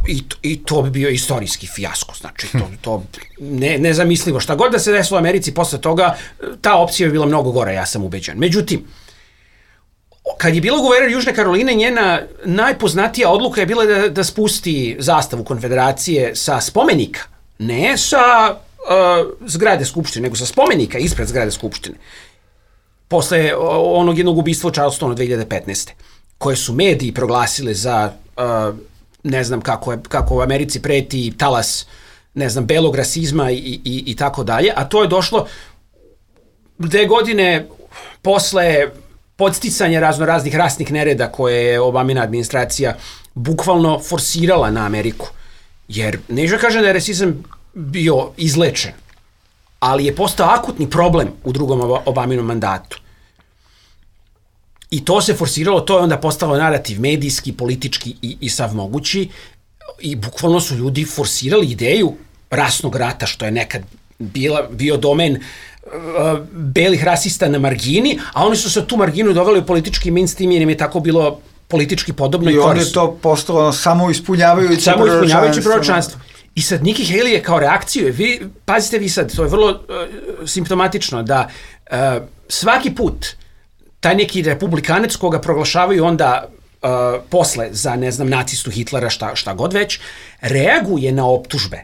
[SPEAKER 4] i, i to bi bio istorijski fijasko, znači to, to ne, nezamislivo. Šta god da se desilo u Americi posle toga, ta opcija bi bila mnogo gora, ja sam ubeđen. Međutim, kad je bila guverner Južne Karoline, njena najpoznatija odluka je bila da, da spusti zastavu konfederacije sa spomenika, ne sa uh, zgrade Skupštine, nego sa spomenika ispred zgrade Skupštine. Posle onog jednog ubistva u Charlestonu dve hiljade petnaeste. koje su mediji proglasile za, uh, ne znam kako, je, kako u Americi preti talas, ne znam, belog rasizma i, i, i tako dalje, a to je došlo dve godine posle podsticanja razno raznih rasnih nereda koje je Obamina administracija bukvalno forsirala na Ameriku. Jer neću kažem da je rasizam bio izlečen, ali je postao akutni problem u drugom Obaminom mandatu. I to se forsiralo, to je onda postalo narativ medijski, politički i, i sav mogući, i bukvalno su ljudi forsirali ideju rasnog rata, što je nekad bila, bio domen uh, belih rasista na margini, a oni su se tu marginu doveli u politički mainstream jer im je tako bilo politički podobno i, i korisno.
[SPEAKER 2] I on je to postalo samo ispunjavajući
[SPEAKER 4] samo ispunjavajući proročanstvo. I sad Nikki Haley je kao reakciju, vi, pazite vi sad, to je vrlo uh, simptomatično, da uh, svaki put taj neki republikanec koga proglašavaju onda uh, posle za, ne znam, nacistu Hitlera, šta, šta god već, reaguje na optužbe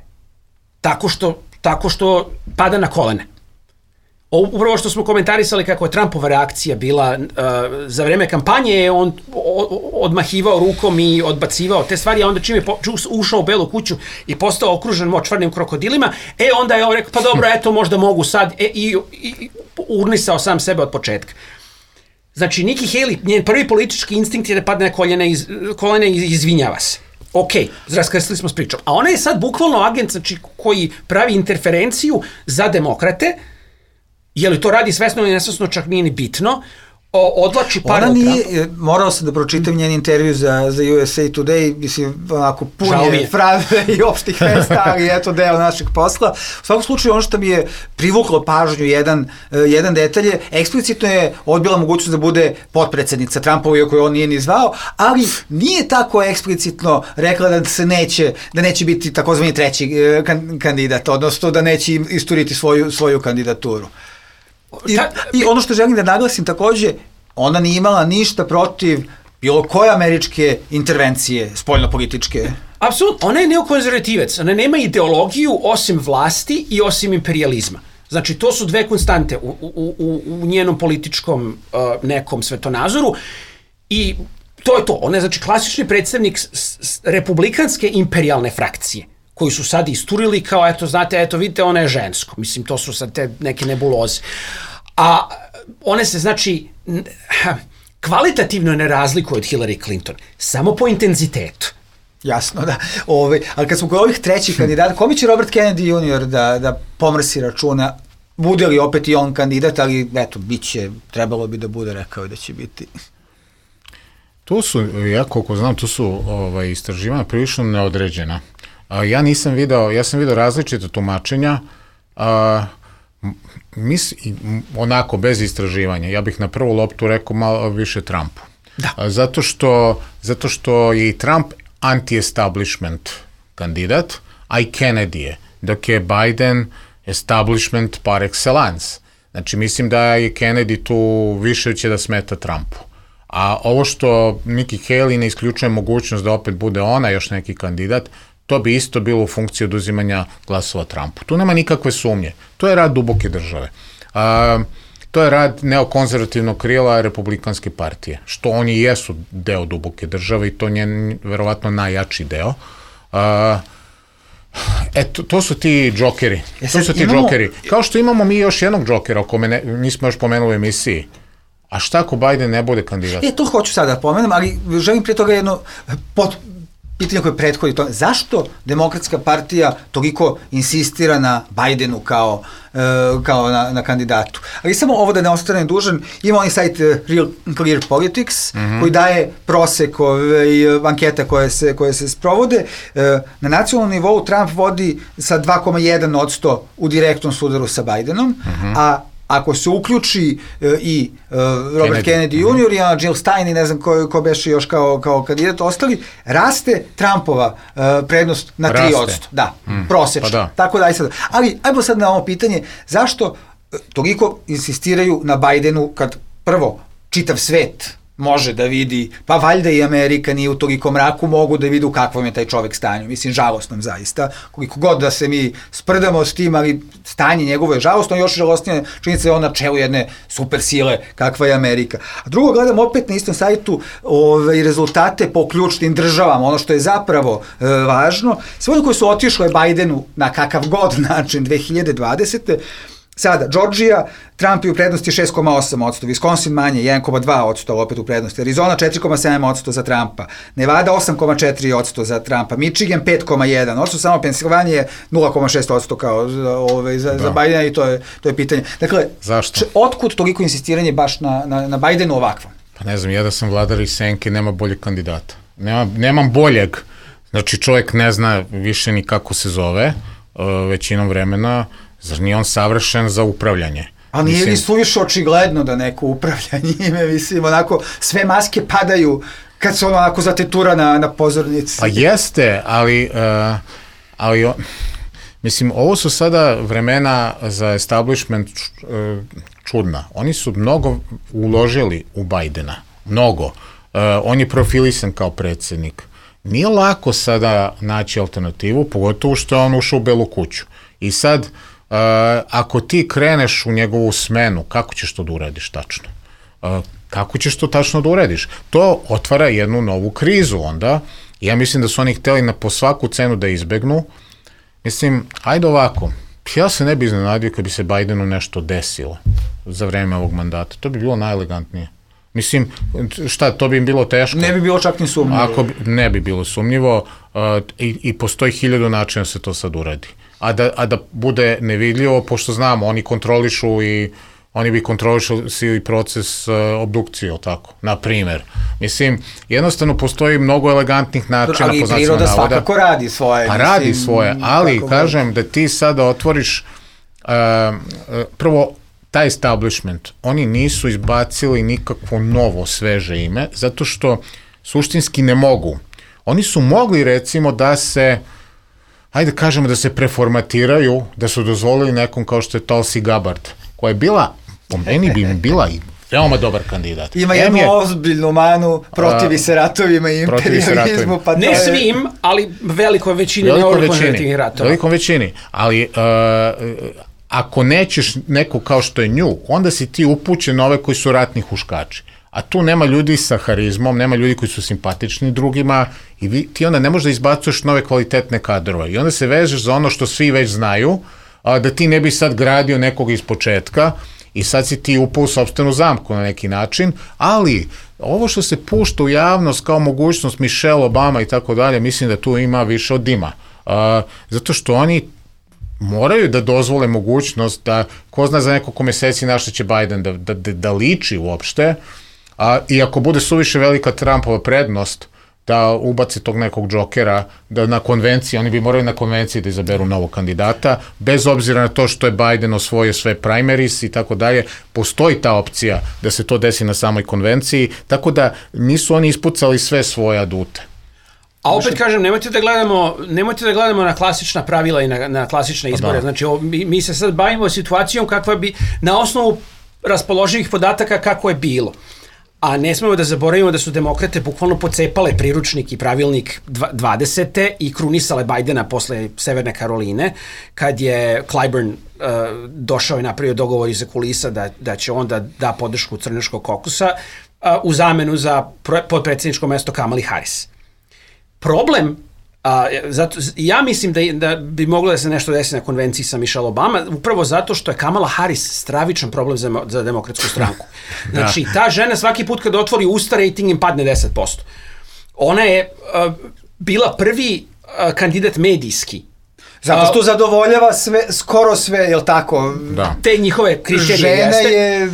[SPEAKER 4] tako što, tako što pada na kolene. O, upravo što smo komentarisali kako je Trumpova reakcija bila uh, za vreme kampanje, je on o, odmahivao rukom i odbacivao te stvari, a onda čim je po, ušao u Belu kuću i postao okružen močvarnim krokodilima, e onda je on rekao, pa dobro, eto, možda mogu sad, e, i, i urnisao sam sebe od početka. Znači, Nikki Haley, njen prvi politički instinkt je da padne na koljene, iz, kolene i izvinjava se. Ok, raskrstili smo s pričom. A ona je sad bukvalno agent, znači, koji pravi interferenciju za demokrate, je li to radi svesno ili nesvesno, čak nije ni bitno, o, odlači par
[SPEAKER 2] Ona nije, morao sam da pročitam njen intervju za, za U S A Today, mislim, onako punje fraze i opštih mesta, ali eto deo našeg posla. U svakom slučaju, ono što mi je privuklo pažnju, jedan, jedan detalj je, eksplicitno je odbila mogućnost da bude potpredsednica Trumpova, iako je on nije ni zvao, ali nije tako eksplicitno rekla da se neće, da neće biti takozvani treći kandidat, odnosno da neće isturiti svoju, svoju kandidaturu. I, I ono što želim da naglasim takođe, ona nije imala ništa protiv bilo koje američke intervencije, spoljnopolitičke.
[SPEAKER 4] Apsolutno, ona je neokonzervativac, ona nema ideologiju osim vlasti i osim imperializma. Znači, to su dve konstante u, u, u, u njenom političkom uh, nekom svetonazoru i to je to. Ona je, znači, klasični predstavnik s, s, republikanske imperialne frakcije, koji su sad isturili kao, eto, znate, eto, vidite, ona je žensko. Mislim, to su sad te neke nebuloze. A one se, znači, kvalitativno ne razlikuju od Hillary Clinton, samo po intenzitetu.
[SPEAKER 2] Jasno, da. Ove, ali kad smo kod ovih trećih kandidata, kome će Robert Kennedy junior da, da pomrsi računa? Bude li opet i on kandidat, ali, eto, bit će, trebalo bi da bude, rekao da će biti.
[SPEAKER 3] Tu su, ja koliko znam, tu su ovaj, istraživanja prilično neodređena. A, ja nisam video, ja sam video različite tumačenja, a, mis, onako, bez istraživanja. Ja bih na prvu loptu rekao malo više Trumpu.
[SPEAKER 4] Da.
[SPEAKER 3] A, zato, što, zato što je i Trump anti-establishment kandidat, a i Kennedy je, dok je Biden establishment par excellence. Znači, mislim da je Kennedy tu više će da smeta Trumpu. A ovo što Nikki Haley ne isključuje mogućnost da opet bude ona još neki kandidat, to bi isto bilo u funkciji oduzimanja glasova Trumpu. Tu nema nikakve sumnje. To je rad duboke države. A, to je rad neokonzervativnog krila Republikanske partije, što oni jesu deo duboke države i to je verovatno najjači deo. A, eto, to su ti džokeri. E to su ti imamo... džokeri. Kao što imamo mi još jednog džokera, o kome ne, nismo još pomenuli u emisiji. A šta ako Biden ne bude kandidat?
[SPEAKER 2] E, to hoću sada da pomenem, ali želim prije toga jedno pot, pitanje koje prethodi to. Zašto Demokratska partija toliko insistira na Bidenu kao, uh, kao na, na kandidatu? Ali samo ovo da ne ostane dužan, ima onaj sajt uh, Real Clear Politics, mm-hmm. koji daje prosek i uh, anketa koje se, koje se sprovode. Uh, na nacionalnom nivou Trump vodi sa dva zarez jedan posto u direktnom sudaru sa Bidenom, mm-hmm. a ako se uključi uh, i uh, Robert Kennedy, Kennedy junior, mm-hmm. i Jill Stein i ne znam ko, ko beše još kao, kao kandidat ostali, raste Trumpova uh, prednost na tri posto. Da, mm. prosečno. Pa da. Tako da, aj sad. Ali, ajmo sad na ovo pitanje, zašto uh, toliko insistiraju na Bidenu kad prvo čitav svet može da vidi, pa valjda i Amerika nije u toliko mraku, mogu da vidi u kakvom je taj čovek stanju. Mislim, žalostnom zaista. Koliko god da se mi sprdamo s tim, ali stanje njegovo je žalostno, još žalostnije činjenica je on na čelu jedne super sile kakva je Amerika. A drugo, gledam opet na istom sajtu ove, rezultate po ključnim državama, ono što je zapravo e, važno. Sve oni koji su otišle Bajdenu na kakav god način dve hiljade dvadesete. Sada, Georgija, Trump je u prednosti šest zarez osam posto, Wisconsin manje, jedan zarez dva posto opet u prednosti, Arizona četiri zarez sedam posto za Trumpa, Nevada osam zarez četiri posto za Trumpa, Michigan pet zarez jedan posto, odnosno samo Pensilvanija je nula zarez šest posto kao ovaj, za, za Bidena i to je, to je pitanje. Dakle, č, otkud toliko insistiranje baš na, na, na Bidenu ovakvom?
[SPEAKER 3] Pa ne znam, ja da sam vladar iz senke, nema boljeg kandidata. Nema, nemam boljeg. Znači, čovjek ne zna više ni kako se zove uh, većinom vremena. Zar nije on savršen za upravljanje?
[SPEAKER 2] Ali nije li suviše očigledno da neko upravlja njime, mislim, onako, sve maske padaju kad se ono onako zatetura na, na pozornici.
[SPEAKER 3] Pa jeste, ali, uh, ali o, mislim, ovo su sada vremena za establishment uh, čudna. Oni su mnogo uložili u Bajdena, mnogo. Uh, on je profilisan kao predsjednik. Nije lako sada naći alternativu, pogotovo što je on ušao u Belu kuću. I sad, Uh, ako ti kreneš u njegovu smenu, kako ćeš to da uradiš tačno? Uh, kako ćeš to tačno da uradiš? To otvara jednu novu krizu onda. Ja mislim da su oni hteli na po svaku cenu da izbegnu. Mislim, ajde ovako, ja se ne bi iznenadio kad bi se Bidenu nešto desilo za vreme ovog mandata. To bi bilo najelegantnije. Mislim, šta, to bi im bilo teško?
[SPEAKER 2] Ne bi bilo čak ni sumnjivo.
[SPEAKER 3] Ako bi, ne bi bilo sumnjivo uh, i, i postoji hiljadu načina se to sad uradi. A da, a da bude nevidljivo, pošto znamo, oni kontrolišu i oni bi kontrolišali proces uh, obdukcije, tako, na primer. Mislim, jednostavno postoji mnogo elegantnih načina.
[SPEAKER 2] Ali priroda svakako radi svoje.
[SPEAKER 3] Pa radi mislim, svoje, ali kažem da ti sada otvoriš uh, uh, prvo, taj establishment, oni nisu izbacili nikakvo novo, sveže ime, zato što suštinski ne mogu. Oni su mogli, recimo, da se hajde kažemo da se preformatiraju, da su dozvolili nekom kao što je Tulsi Gabbard, koja je bila, po meni bi bila i veoma dobar kandidat.
[SPEAKER 2] Ima jednu je, ozbiljnu manu, protivi se ratovima i imperializmu. Pa
[SPEAKER 4] ne je, svim, ali velikoj većini,
[SPEAKER 3] veliko
[SPEAKER 4] ne
[SPEAKER 3] većini,
[SPEAKER 4] ratova.
[SPEAKER 3] Velikom većini, ali uh, ako nećeš neko kao što je nju, onda si ti upućen na ove koji su ratni huškači. A tu nema ljudi sa harizmom, nema ljudi koji su simpatični drugima i vi, ti onda ne možeš da izbacuješ nove kvalitetne kadrove. I onda se vežeš za ono što svi već znaju, a, da ti ne bi sad gradio nekog iz početka i sad si ti upao u sopstvenu zamku na neki način, ali ovo što se pušta u javnost kao mogućnost Michelle Obama i tako dalje, mislim da tu ima više od dima. A, zato što oni moraju da dozvole mogućnost da, ko zna za nekoliko meseci na što će Biden da, da, da, da liči uopšte, a, i ako bude suviše velika Trumpova prednost, da ubaci tog nekog džokera, da na konvenciji, oni bi morali na konvenciji da izaberu novog kandidata, bez obzira na to što je Biden osvojio sve primaries i tako dalje, postoji ta opcija da se to desi na samoj konvenciji, tako da nisu oni ispucali sve svoje adute.
[SPEAKER 4] A opet kažem, nemojte da gledamo, nemojte da gledamo na klasična pravila i na, na klasične izbore. Da. Znači, o, mi, mi se sad bavimo situacijom kakva bi, na osnovu raspoloživih podataka kako je bilo. A ne smemo da zaboravimo da su demokrate bukvalno pocepale priručnik i pravilnik dvadesete i krunisale Bidena posle Severne Karoline, kad je Clyburn uh, došao i napravio dogovor iza kulisa da, da će onda da podršku crnoškog kokusa uh, u zamenu za podpredsjedničko mesto Kamali Harris. Problem, a, zato, ja mislim da, da bi moglo da se nešto desi na konvenciji sa Michelle Obama, upravo zato što je Kamala Harris stravičan problem za, za demokratsku stranku. Znači, ta žena svaki put kad otvori usta, rating im padne deset posto. Ona je a, bila prvi a, kandidat medijski.
[SPEAKER 2] Zato što zadovoljava sve, skoro sve, jel tako?
[SPEAKER 4] Da. Te njihove kriterije
[SPEAKER 2] žena
[SPEAKER 4] jeste.
[SPEAKER 2] Je,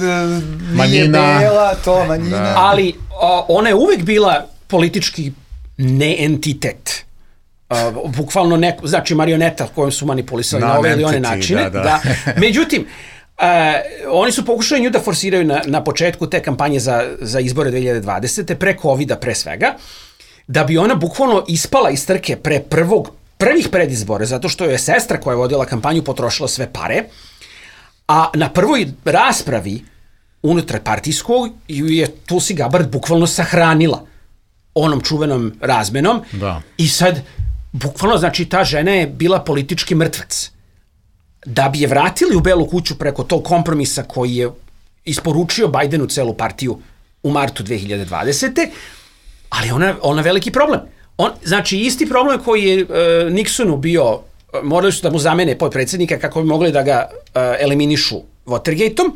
[SPEAKER 3] manjina.
[SPEAKER 2] Nije bela, to manjina.
[SPEAKER 3] Da.
[SPEAKER 4] Ali a, ona je uvek bila politički ne entitet. Uh, bukvalno neko, znači marioneta kojom su manipulisali no, na ove ili one načine. Da, da. Da. Međutim, uh, oni su pokušali nju da forsiraju na, na početku te kampanje za, za izbore dve hiljade dvadesete pre covida pre svega, da bi ona bukvalno ispala iz trke pre prvog, prvih predizbora, zato što je sestra koja je vodila kampanju potrošila sve pare, a na prvoj raspravi unutar partijskog je Tulsi Gabbard bukvalno sahranila onom čuvenom razmenom
[SPEAKER 3] da.
[SPEAKER 4] I sad bukvalno, znači, ta žena je bila politički mrtvac. Da bi je vratili u Belu kuću preko tog kompromisa koji je isporučio Bajdenu celu partiju u martu dve hiljade dvadesete. Ali ona, ona veliki problem. On, znači, isti problem koji je uh, Nixonu bio, morali su da mu zamene potpredsjednika kako bi mogli da ga uh, eliminišu Watergate-om,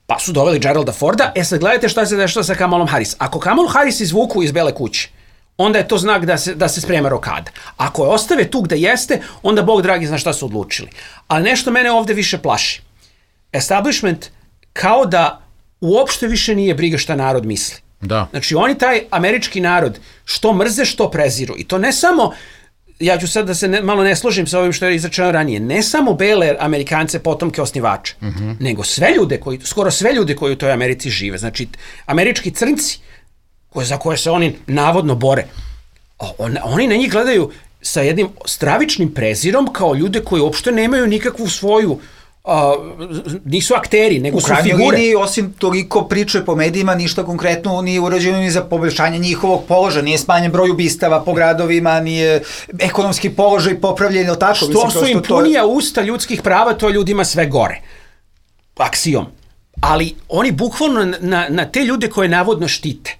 [SPEAKER 4] pa su doveli Geralda Forda. E sad gledajte šta se dešava sa Kamalom Harris. Ako Kamalu Harris izvuku iz Bele kuće, onda je to znak da se, da se sprema rokada. Ako je ostave tu gde jeste, onda Bog dragi zna šta su odlučili. Ali nešto mene ovde više plaši. Establishment kao da uopšte više nije briga šta narod misli.
[SPEAKER 3] Da.
[SPEAKER 4] Znači oni taj američki narod što mrze, što preziru. I to ne samo, ja ću sad da se ne, malo ne složim sa ovim što je izrečeno ranije, ne samo bele Amerikance, potomke osnivača, uh-huh. nego sve ljude, koji, skoro sve ljude koji u toj Americi žive. Znači američki crnci, koje, za koje se oni navodno bore, on, oni na njih gledaju sa jednim stravičnim prezirom kao ljude koji uopšte nemaju nikakvu svoju Uh, nisu akteri, nego su figure. U krajnjoj liniji,
[SPEAKER 2] osim toliko priče po medijima, ništa konkretno nije urađeno ni za poboljšanje njihovog položaja, nije smanjen broj ubistava po gradovima, nije ekonomski položaj popravljen, ili tako?
[SPEAKER 4] Što
[SPEAKER 2] Mislim,
[SPEAKER 4] su im
[SPEAKER 2] to...
[SPEAKER 4] punija usta ljudskih prava, to je ljudima sve gore. Aksijom. Ali oni bukvalno na, na te ljude koje navodno štite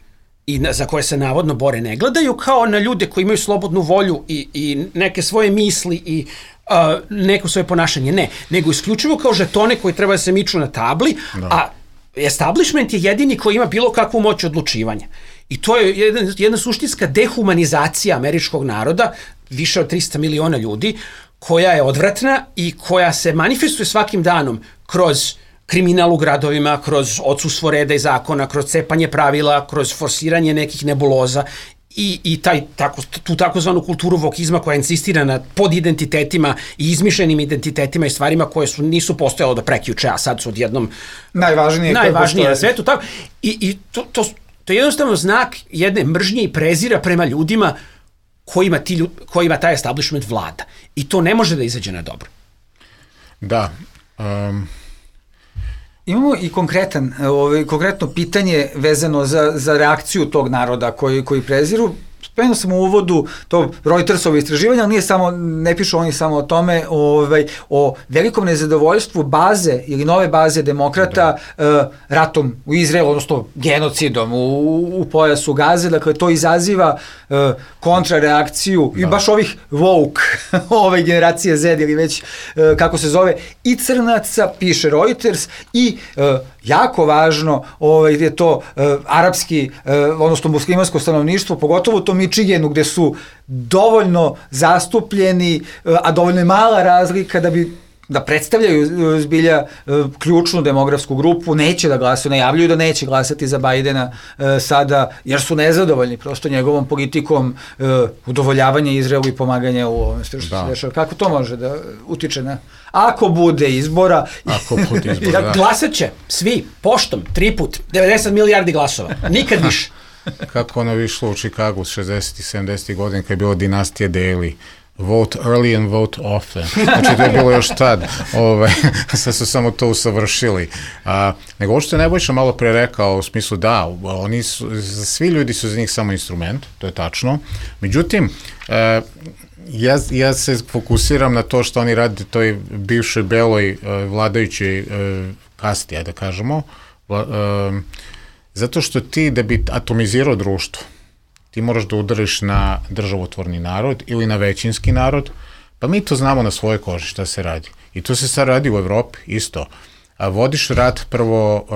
[SPEAKER 4] i na, za koje se navodno bore ne gledaju kao na ljude koji imaju slobodnu volju i, i neke svoje misli i Uh, neko svoje ponašanje, ne, nego isključivo kao žetone koji treba da se miču na tabli, da. A establishment je jedini koji ima bilo kakvu moć odlučivanja. I to je jedna, jedna suštinska dehumanizacija američkog naroda, više od trista miliona ljudi, koja je odvratna i koja se manifestuje svakim danom kroz kriminal u gradovima, kroz odsustvo reda i zakona, kroz cepanje pravila, kroz forsiranje nekih nebuloza i, i taj, tako, tu takozvanu kulturu vokizma koja insistira na podidentitetima i izmišljenim identitetima i stvarima koje su, nisu postojalo do prekjuče, a sad su odjednom
[SPEAKER 2] najvažnije,
[SPEAKER 4] najvažnije na svetu. Tako. I, i to, to, to je jednostavno znak jedne mržnje i prezira prema ljudima kojima, ti ljud, kojima taj establishment vlada. I to ne može da izađe na dobro.
[SPEAKER 3] Da. Um...
[SPEAKER 2] Imamo i konkretan, ovaj, konkretno pitanje vezano za, za reakciju tog naroda koji, koji preziru. Spomenuo sam u uvodu to Reutersovo istraživanje, ali nije samo, ne pišu oni samo o tome, ovaj, o velikom nezadovoljstvu baze ili nove baze demokrata uh, ratom u Izraelu, odnosno genocidom u, u pojasu Gaze. Dakle, to izaziva uh, kontrareakciju da. I baš ovih woke, ove generacije Z ili već uh, kako se zove, i crnaca, piše Reuters, i uh, jako važno ovaj, je to uh, arapski, uh, odnosno muslimansko stanovništvo, pogotovo u tom Michiganu gde su dovoljno zastupljeni, uh, a dovoljno je mala razlika da bi da predstavljaju zbilja uh, ključnu demografsku grupu, neće da glasaju, najavljuju da neće glasati za Bajdena uh, sada, jer su nezadovoljni prosto njegovom politikom uh, udovoljavanja Izraelu i pomaganja u ovom što se dešava. Kako to može da utiče na... Ako bude izbora...
[SPEAKER 3] Ako bude izbora, da.
[SPEAKER 4] Glasat će svi, poštom, tri put, devedeset milijardi glasova, nikad više.
[SPEAKER 3] Kako ono išlo u Chicagu šezdesetih, sedamdesetih godina kad je bilo dinastija Daly. Vote early and vote often. Znači, to je bilo još tad. Ove, sad su samo to usavršili. A, nego ovo što je Nebojša malo pre rekao, u smislu da, oni su, svi ljudi su za njih samo instrument, to je tačno. Međutim, e, ja, ja se fokusiram na to što oni rade toj bivšoj beloj e, vladajućoj e, kasti, ajde da kažemo, Vla, e, zato što ti da bi atomizirao društvo, ti moraš da udariš na državotvorni narod ili na većinski narod, pa mi to znamo na svojoj koži šta se radi. I to se sad radi u Evropi isto. A vodiš rat prvo uh,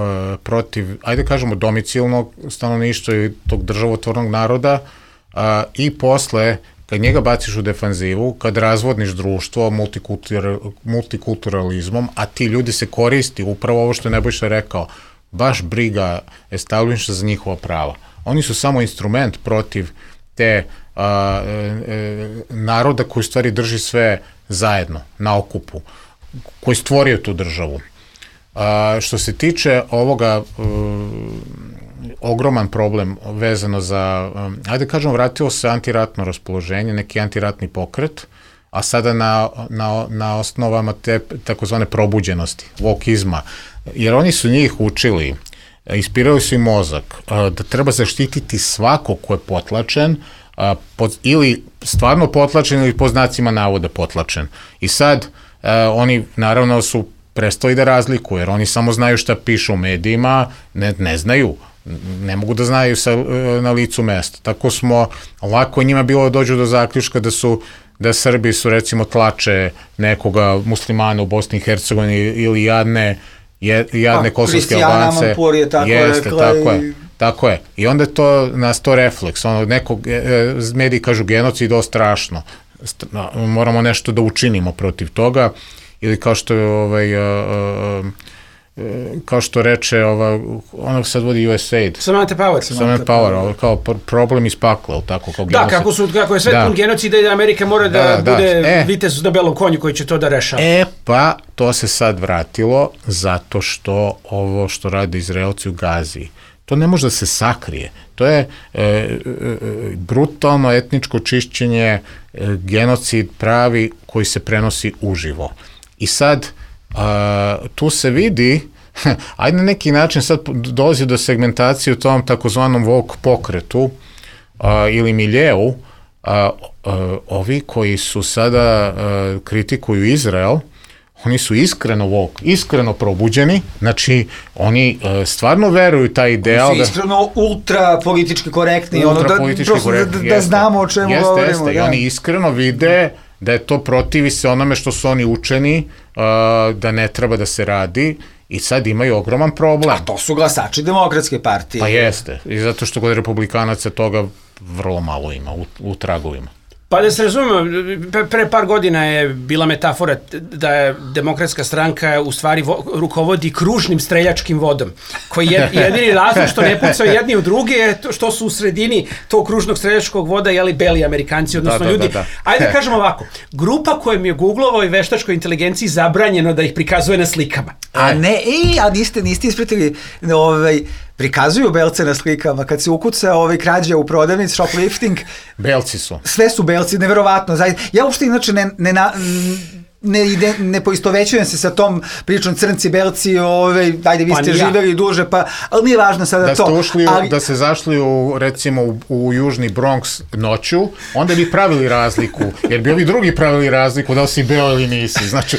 [SPEAKER 3] protiv, ajde kažemo, domicilnog stanovništva i tog državotvornog naroda uh, i posle, kad njega baciš u defanzivu, kad razvodniš društvo multikultur, multikulturalizmom, a ti ljudi se koristi, upravo ovo što je Nebojša rekao, baš briga establishmenta za njihova prava. Oni su samo instrument protiv te a, e, naroda koji stvari drži sve zajedno, na okupu, koji stvorio tu državu. A, što se tiče ovoga, um, ogroman problem vezano za, um, ajde kažem, vratilo se antiratno raspoloženje, neki antiratni pokret, a sada na, na, na osnovama te takozvane probuđenosti, vokizma. jer oni su njih učili, ispirali su im mozak, da treba zaštititi svako ko je potlačen, pod, ili stvarno potlačen ili po znacima navoda potlačen. I sad oni naravno su prestali da razlikuju, jer oni samo znaju šta pišu u medijima, ne, ne znaju, ne mogu da znaju sa, na licu mesta. Tako smo, lako njima bilo da dođu do zaključka da su da Srbi su recimo tlače nekoga muslimana u Bosni i Hercegovini ili jadne, jadne kosovske Albance.
[SPEAKER 2] Kristijana Mampur je tako
[SPEAKER 3] Jeste,
[SPEAKER 2] rekla.
[SPEAKER 3] tako
[SPEAKER 2] i...
[SPEAKER 3] je. Tako je. I onda to nas to refleks. Ono, nekog, mediji kažu genocid, o strašno. Moramo nešto da učinimo protiv toga. Ili kao što je ovaj, uh, uh, kao što reče ova, ono sad vodi U S A I D.
[SPEAKER 4] Samantha Power.
[SPEAKER 3] Samantha Power, ovo, kao problem iz pakla, tako kao
[SPEAKER 4] genocid. Da, kako, su, kako je sve da. pun genocida i da Amerika mora da, da, da bude e, vitez na belom konju koji će to da rešava.
[SPEAKER 3] E, pa, to se sad vratilo zato što ovo što rade Izraelci u Gazi, to ne može da se sakrije. To je e, e, brutalno etničko čišćenje, e, genocid pravi koji se prenosi uživo. I sad, a, tu se vidi, ajde na neki način sad dolazi do segmentacije u tom takozvanom woke pokretu a, ili miljeu, a, a, ovi koji su sada a, kritikuju Izrael, oni su iskreno woke, iskreno probuđeni, znači oni uh, stvarno veruju taj ideal.
[SPEAKER 2] Oni su iskreno da, ultra politički korektni,
[SPEAKER 3] ultra
[SPEAKER 2] ono, da,
[SPEAKER 3] politički korektni,
[SPEAKER 2] da, da znamo o čemu
[SPEAKER 3] jeste,
[SPEAKER 2] govorimo.
[SPEAKER 3] Jeste,
[SPEAKER 2] da.
[SPEAKER 3] I oni iskreno vide da je to protivi se onome što su oni učeni, uh, da ne treba da se radi i sad imaju ogroman problem.
[SPEAKER 2] A to su glasači Demokratske partije.
[SPEAKER 3] Pa jeste, i zato što kod republikanaca toga vrlo malo ima u, u tragovima.
[SPEAKER 4] Pa da se razumemo, pre par godina je bila metafora da je Demokratska stranka u stvari vo, rukovodi kružnim streljačkim vodom, koji je jedini razlog što ne pucaju jedni u druge je to što su u sredini tog kružnog streljačkog voda jeli beli Amerikanci, odnosno da, da, ljudi. Da, da. Ajde da kažemo ovako, grupa kojom je Googlovoj i veštačkoj inteligenciji zabranjeno da ih prikazuje na slikama.
[SPEAKER 2] A ne, ej, a niste, niste ispratili ovaj... prikazuju belce na slikama, kad se ukuca ovaj krađa u prodavnici, shoplifting.
[SPEAKER 3] Belci su.
[SPEAKER 2] Sve su belci, neverovatno. Ja uopšte inače ne, ne, ne, ide, ne poistovećujem se sa tom pričom crnci, belci, ovaj, ajde vi ste pa živeli duže, pa, ali nije važno sada
[SPEAKER 3] da
[SPEAKER 2] to.
[SPEAKER 3] Ste ušli u,
[SPEAKER 2] ali...
[SPEAKER 3] Da ste zašli u, recimo, u, u južni Bronx noću, onda bi pravili razliku, jer bi ovi drugi pravili razliku da li si beo ili nisi. Znači,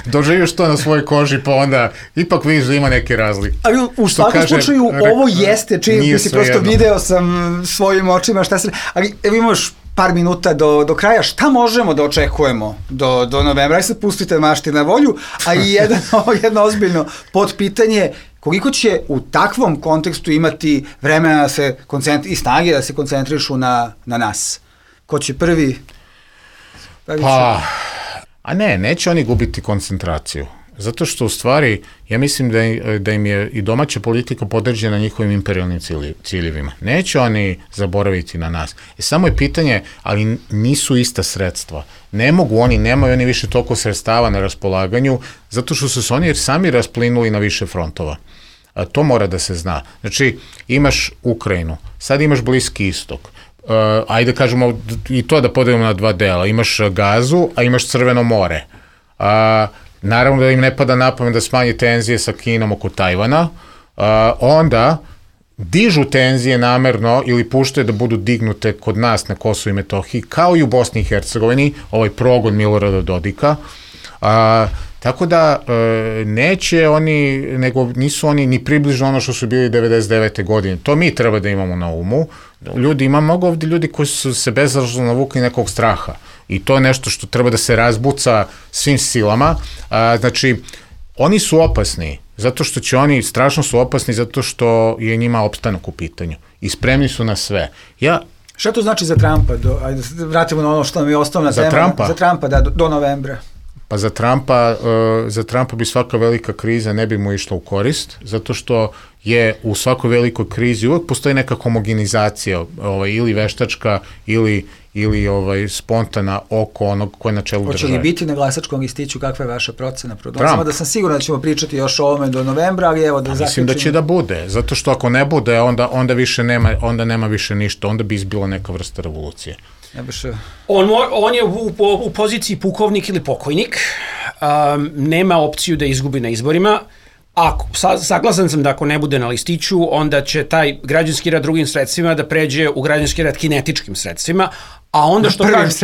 [SPEAKER 3] doživiš to na svojoj koži, pa onda ipak vidiš da ima neke razlike.
[SPEAKER 2] Ali u svakom kaže, slučaju re, ovo jeste čim si prosto jedno. Video sam svojim očima šta se... Ali evo imaš par minuta do, do kraja, šta možemo da očekujemo do, do novembra? Aj sad pustite mašti na volju, a i jedan, jedno ozbiljno podpitanje, koliko će u takvom kontekstu imati vremena da se koncentri, i snage da se koncentrišu na, na nas? Ko će prvi?
[SPEAKER 3] Pa, a ne, neće oni gubiti koncentraciju. Zato što u stvari, ja mislim da, da im je i domaća politika podređena njihovim imperialnim ciljevima. Neće oni zaboraviti na nas. E, samo je pitanje, ali nisu ista sredstva. Ne mogu oni, nemaju oni više toliko sredstava na raspolaganju, zato što su se oni sami rasplinuli na više frontova. A to mora da se zna. Znači, imaš Ukrajinu, sad imaš Bliski istok. Uh, ajde kažemo i to da podelimo na dva dela. Imaš Gazu, a imaš Crveno more. A uh, naravno da im ne pada na pamet da smanje tenzije sa Kinom oko Tajvana, uh, onda dižu tenzije namerno ili puštaju da budu dignute kod nas na Kosovu i Metohiji, kao i u Bosni i Hercegovini, ovaj progon Milorada Dodika. Uh, tako da uh, neće oni, nego nisu oni ni približno ono što su bili devedeset devete godine. To mi treba da imamo na umu. Ljudi, ima mnogo ovdje ljudi koji su se bezrazložno navukli nekog straha. I to je nešto što treba da se razbuca svim silama. A, znači, oni su opasni, zato što će oni, strašno su opasni, zato što je njima opstanak u pitanju. I spremni su na sve. Ja...
[SPEAKER 2] Šta to znači za Trumpa? Do, ajde, vratimo na ono što nam je osnovna
[SPEAKER 3] za
[SPEAKER 2] tema.
[SPEAKER 3] Trumpa?
[SPEAKER 2] Za Trumpa, da, do, do novembra.
[SPEAKER 3] Pa za Trumpa, uh, za Trumpa bi svaka velika kriza ne bi mu išla u korist, zato što je u svakoj velikoj krizi uvek postoji neka homogenizacija, ovaj, ili veštačka, ili ili ovaj spontana oko onog ko je na čelu države.
[SPEAKER 2] Hoće li biti na glasačkom listiću, kakva je vaša procena? Samo da sam siguran da ćemo pričati još o ovome do novembra, ali evo da zaključimo.
[SPEAKER 3] Mislim da će da bude, zato što ako ne bude, onda, onda više nema, onda nema više ništa, onda bi izbila neka vrsta revolucije.
[SPEAKER 2] Ja biš...
[SPEAKER 4] on, on je u, u, u poziciji pukovnik ili pokojnik, um, nema opciju da izgubi na izborima, Ako, sa, saglasan sam da ako ne bude na listiću, onda će taj građanski rad drugim sredstvima da pređe u građanski rad kinetičkim sredstvima, a onda što kažu,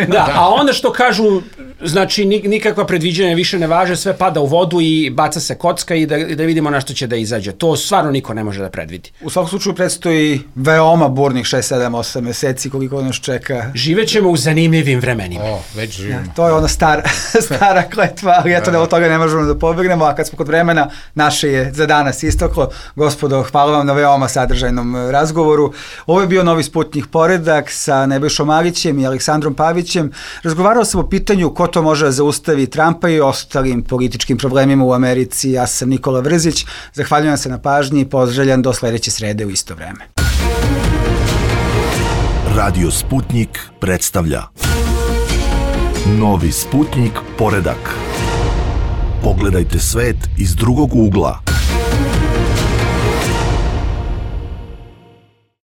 [SPEAKER 4] da, a onda što kažu, znači nikakva predviđanja više ne važe, sve pada u vodu i baca se kocka i da, i da vidimo na što će da izađe. To stvarno niko ne može da predvidi.
[SPEAKER 2] U svakom slučaju predstoji veoma burnih šest, sedam, osam meseci koliko nas čeka.
[SPEAKER 4] Živećemo u zanimljivim vremenima.
[SPEAKER 3] O, već živimo.
[SPEAKER 2] Ja, to je ona star, stara kletva, ali eto da od toga ne možemo da pobegnemo, a kad smo kod vremena, naše je za danas isteklo. Gospodo, hvala vam na veoma sadržajnom razgovoru. Ovo je bio Novi Sputnjik Poredak sa Nebojšom Marićem i Aleksandrom Pavićem. Razgovarao sam o pitanju ko to može da zaustavi Trumpa i ostalim političkim problemima u Americi. Ja sam Nikola Vrzić. Zahvaljujem se na pažnji i pozdravljam do sledeće srede u isto vreme.
[SPEAKER 1] Radio Sputnjik predstavlja Novi Sputnjik Poredak. Pogledajte svet iz drugog ugla.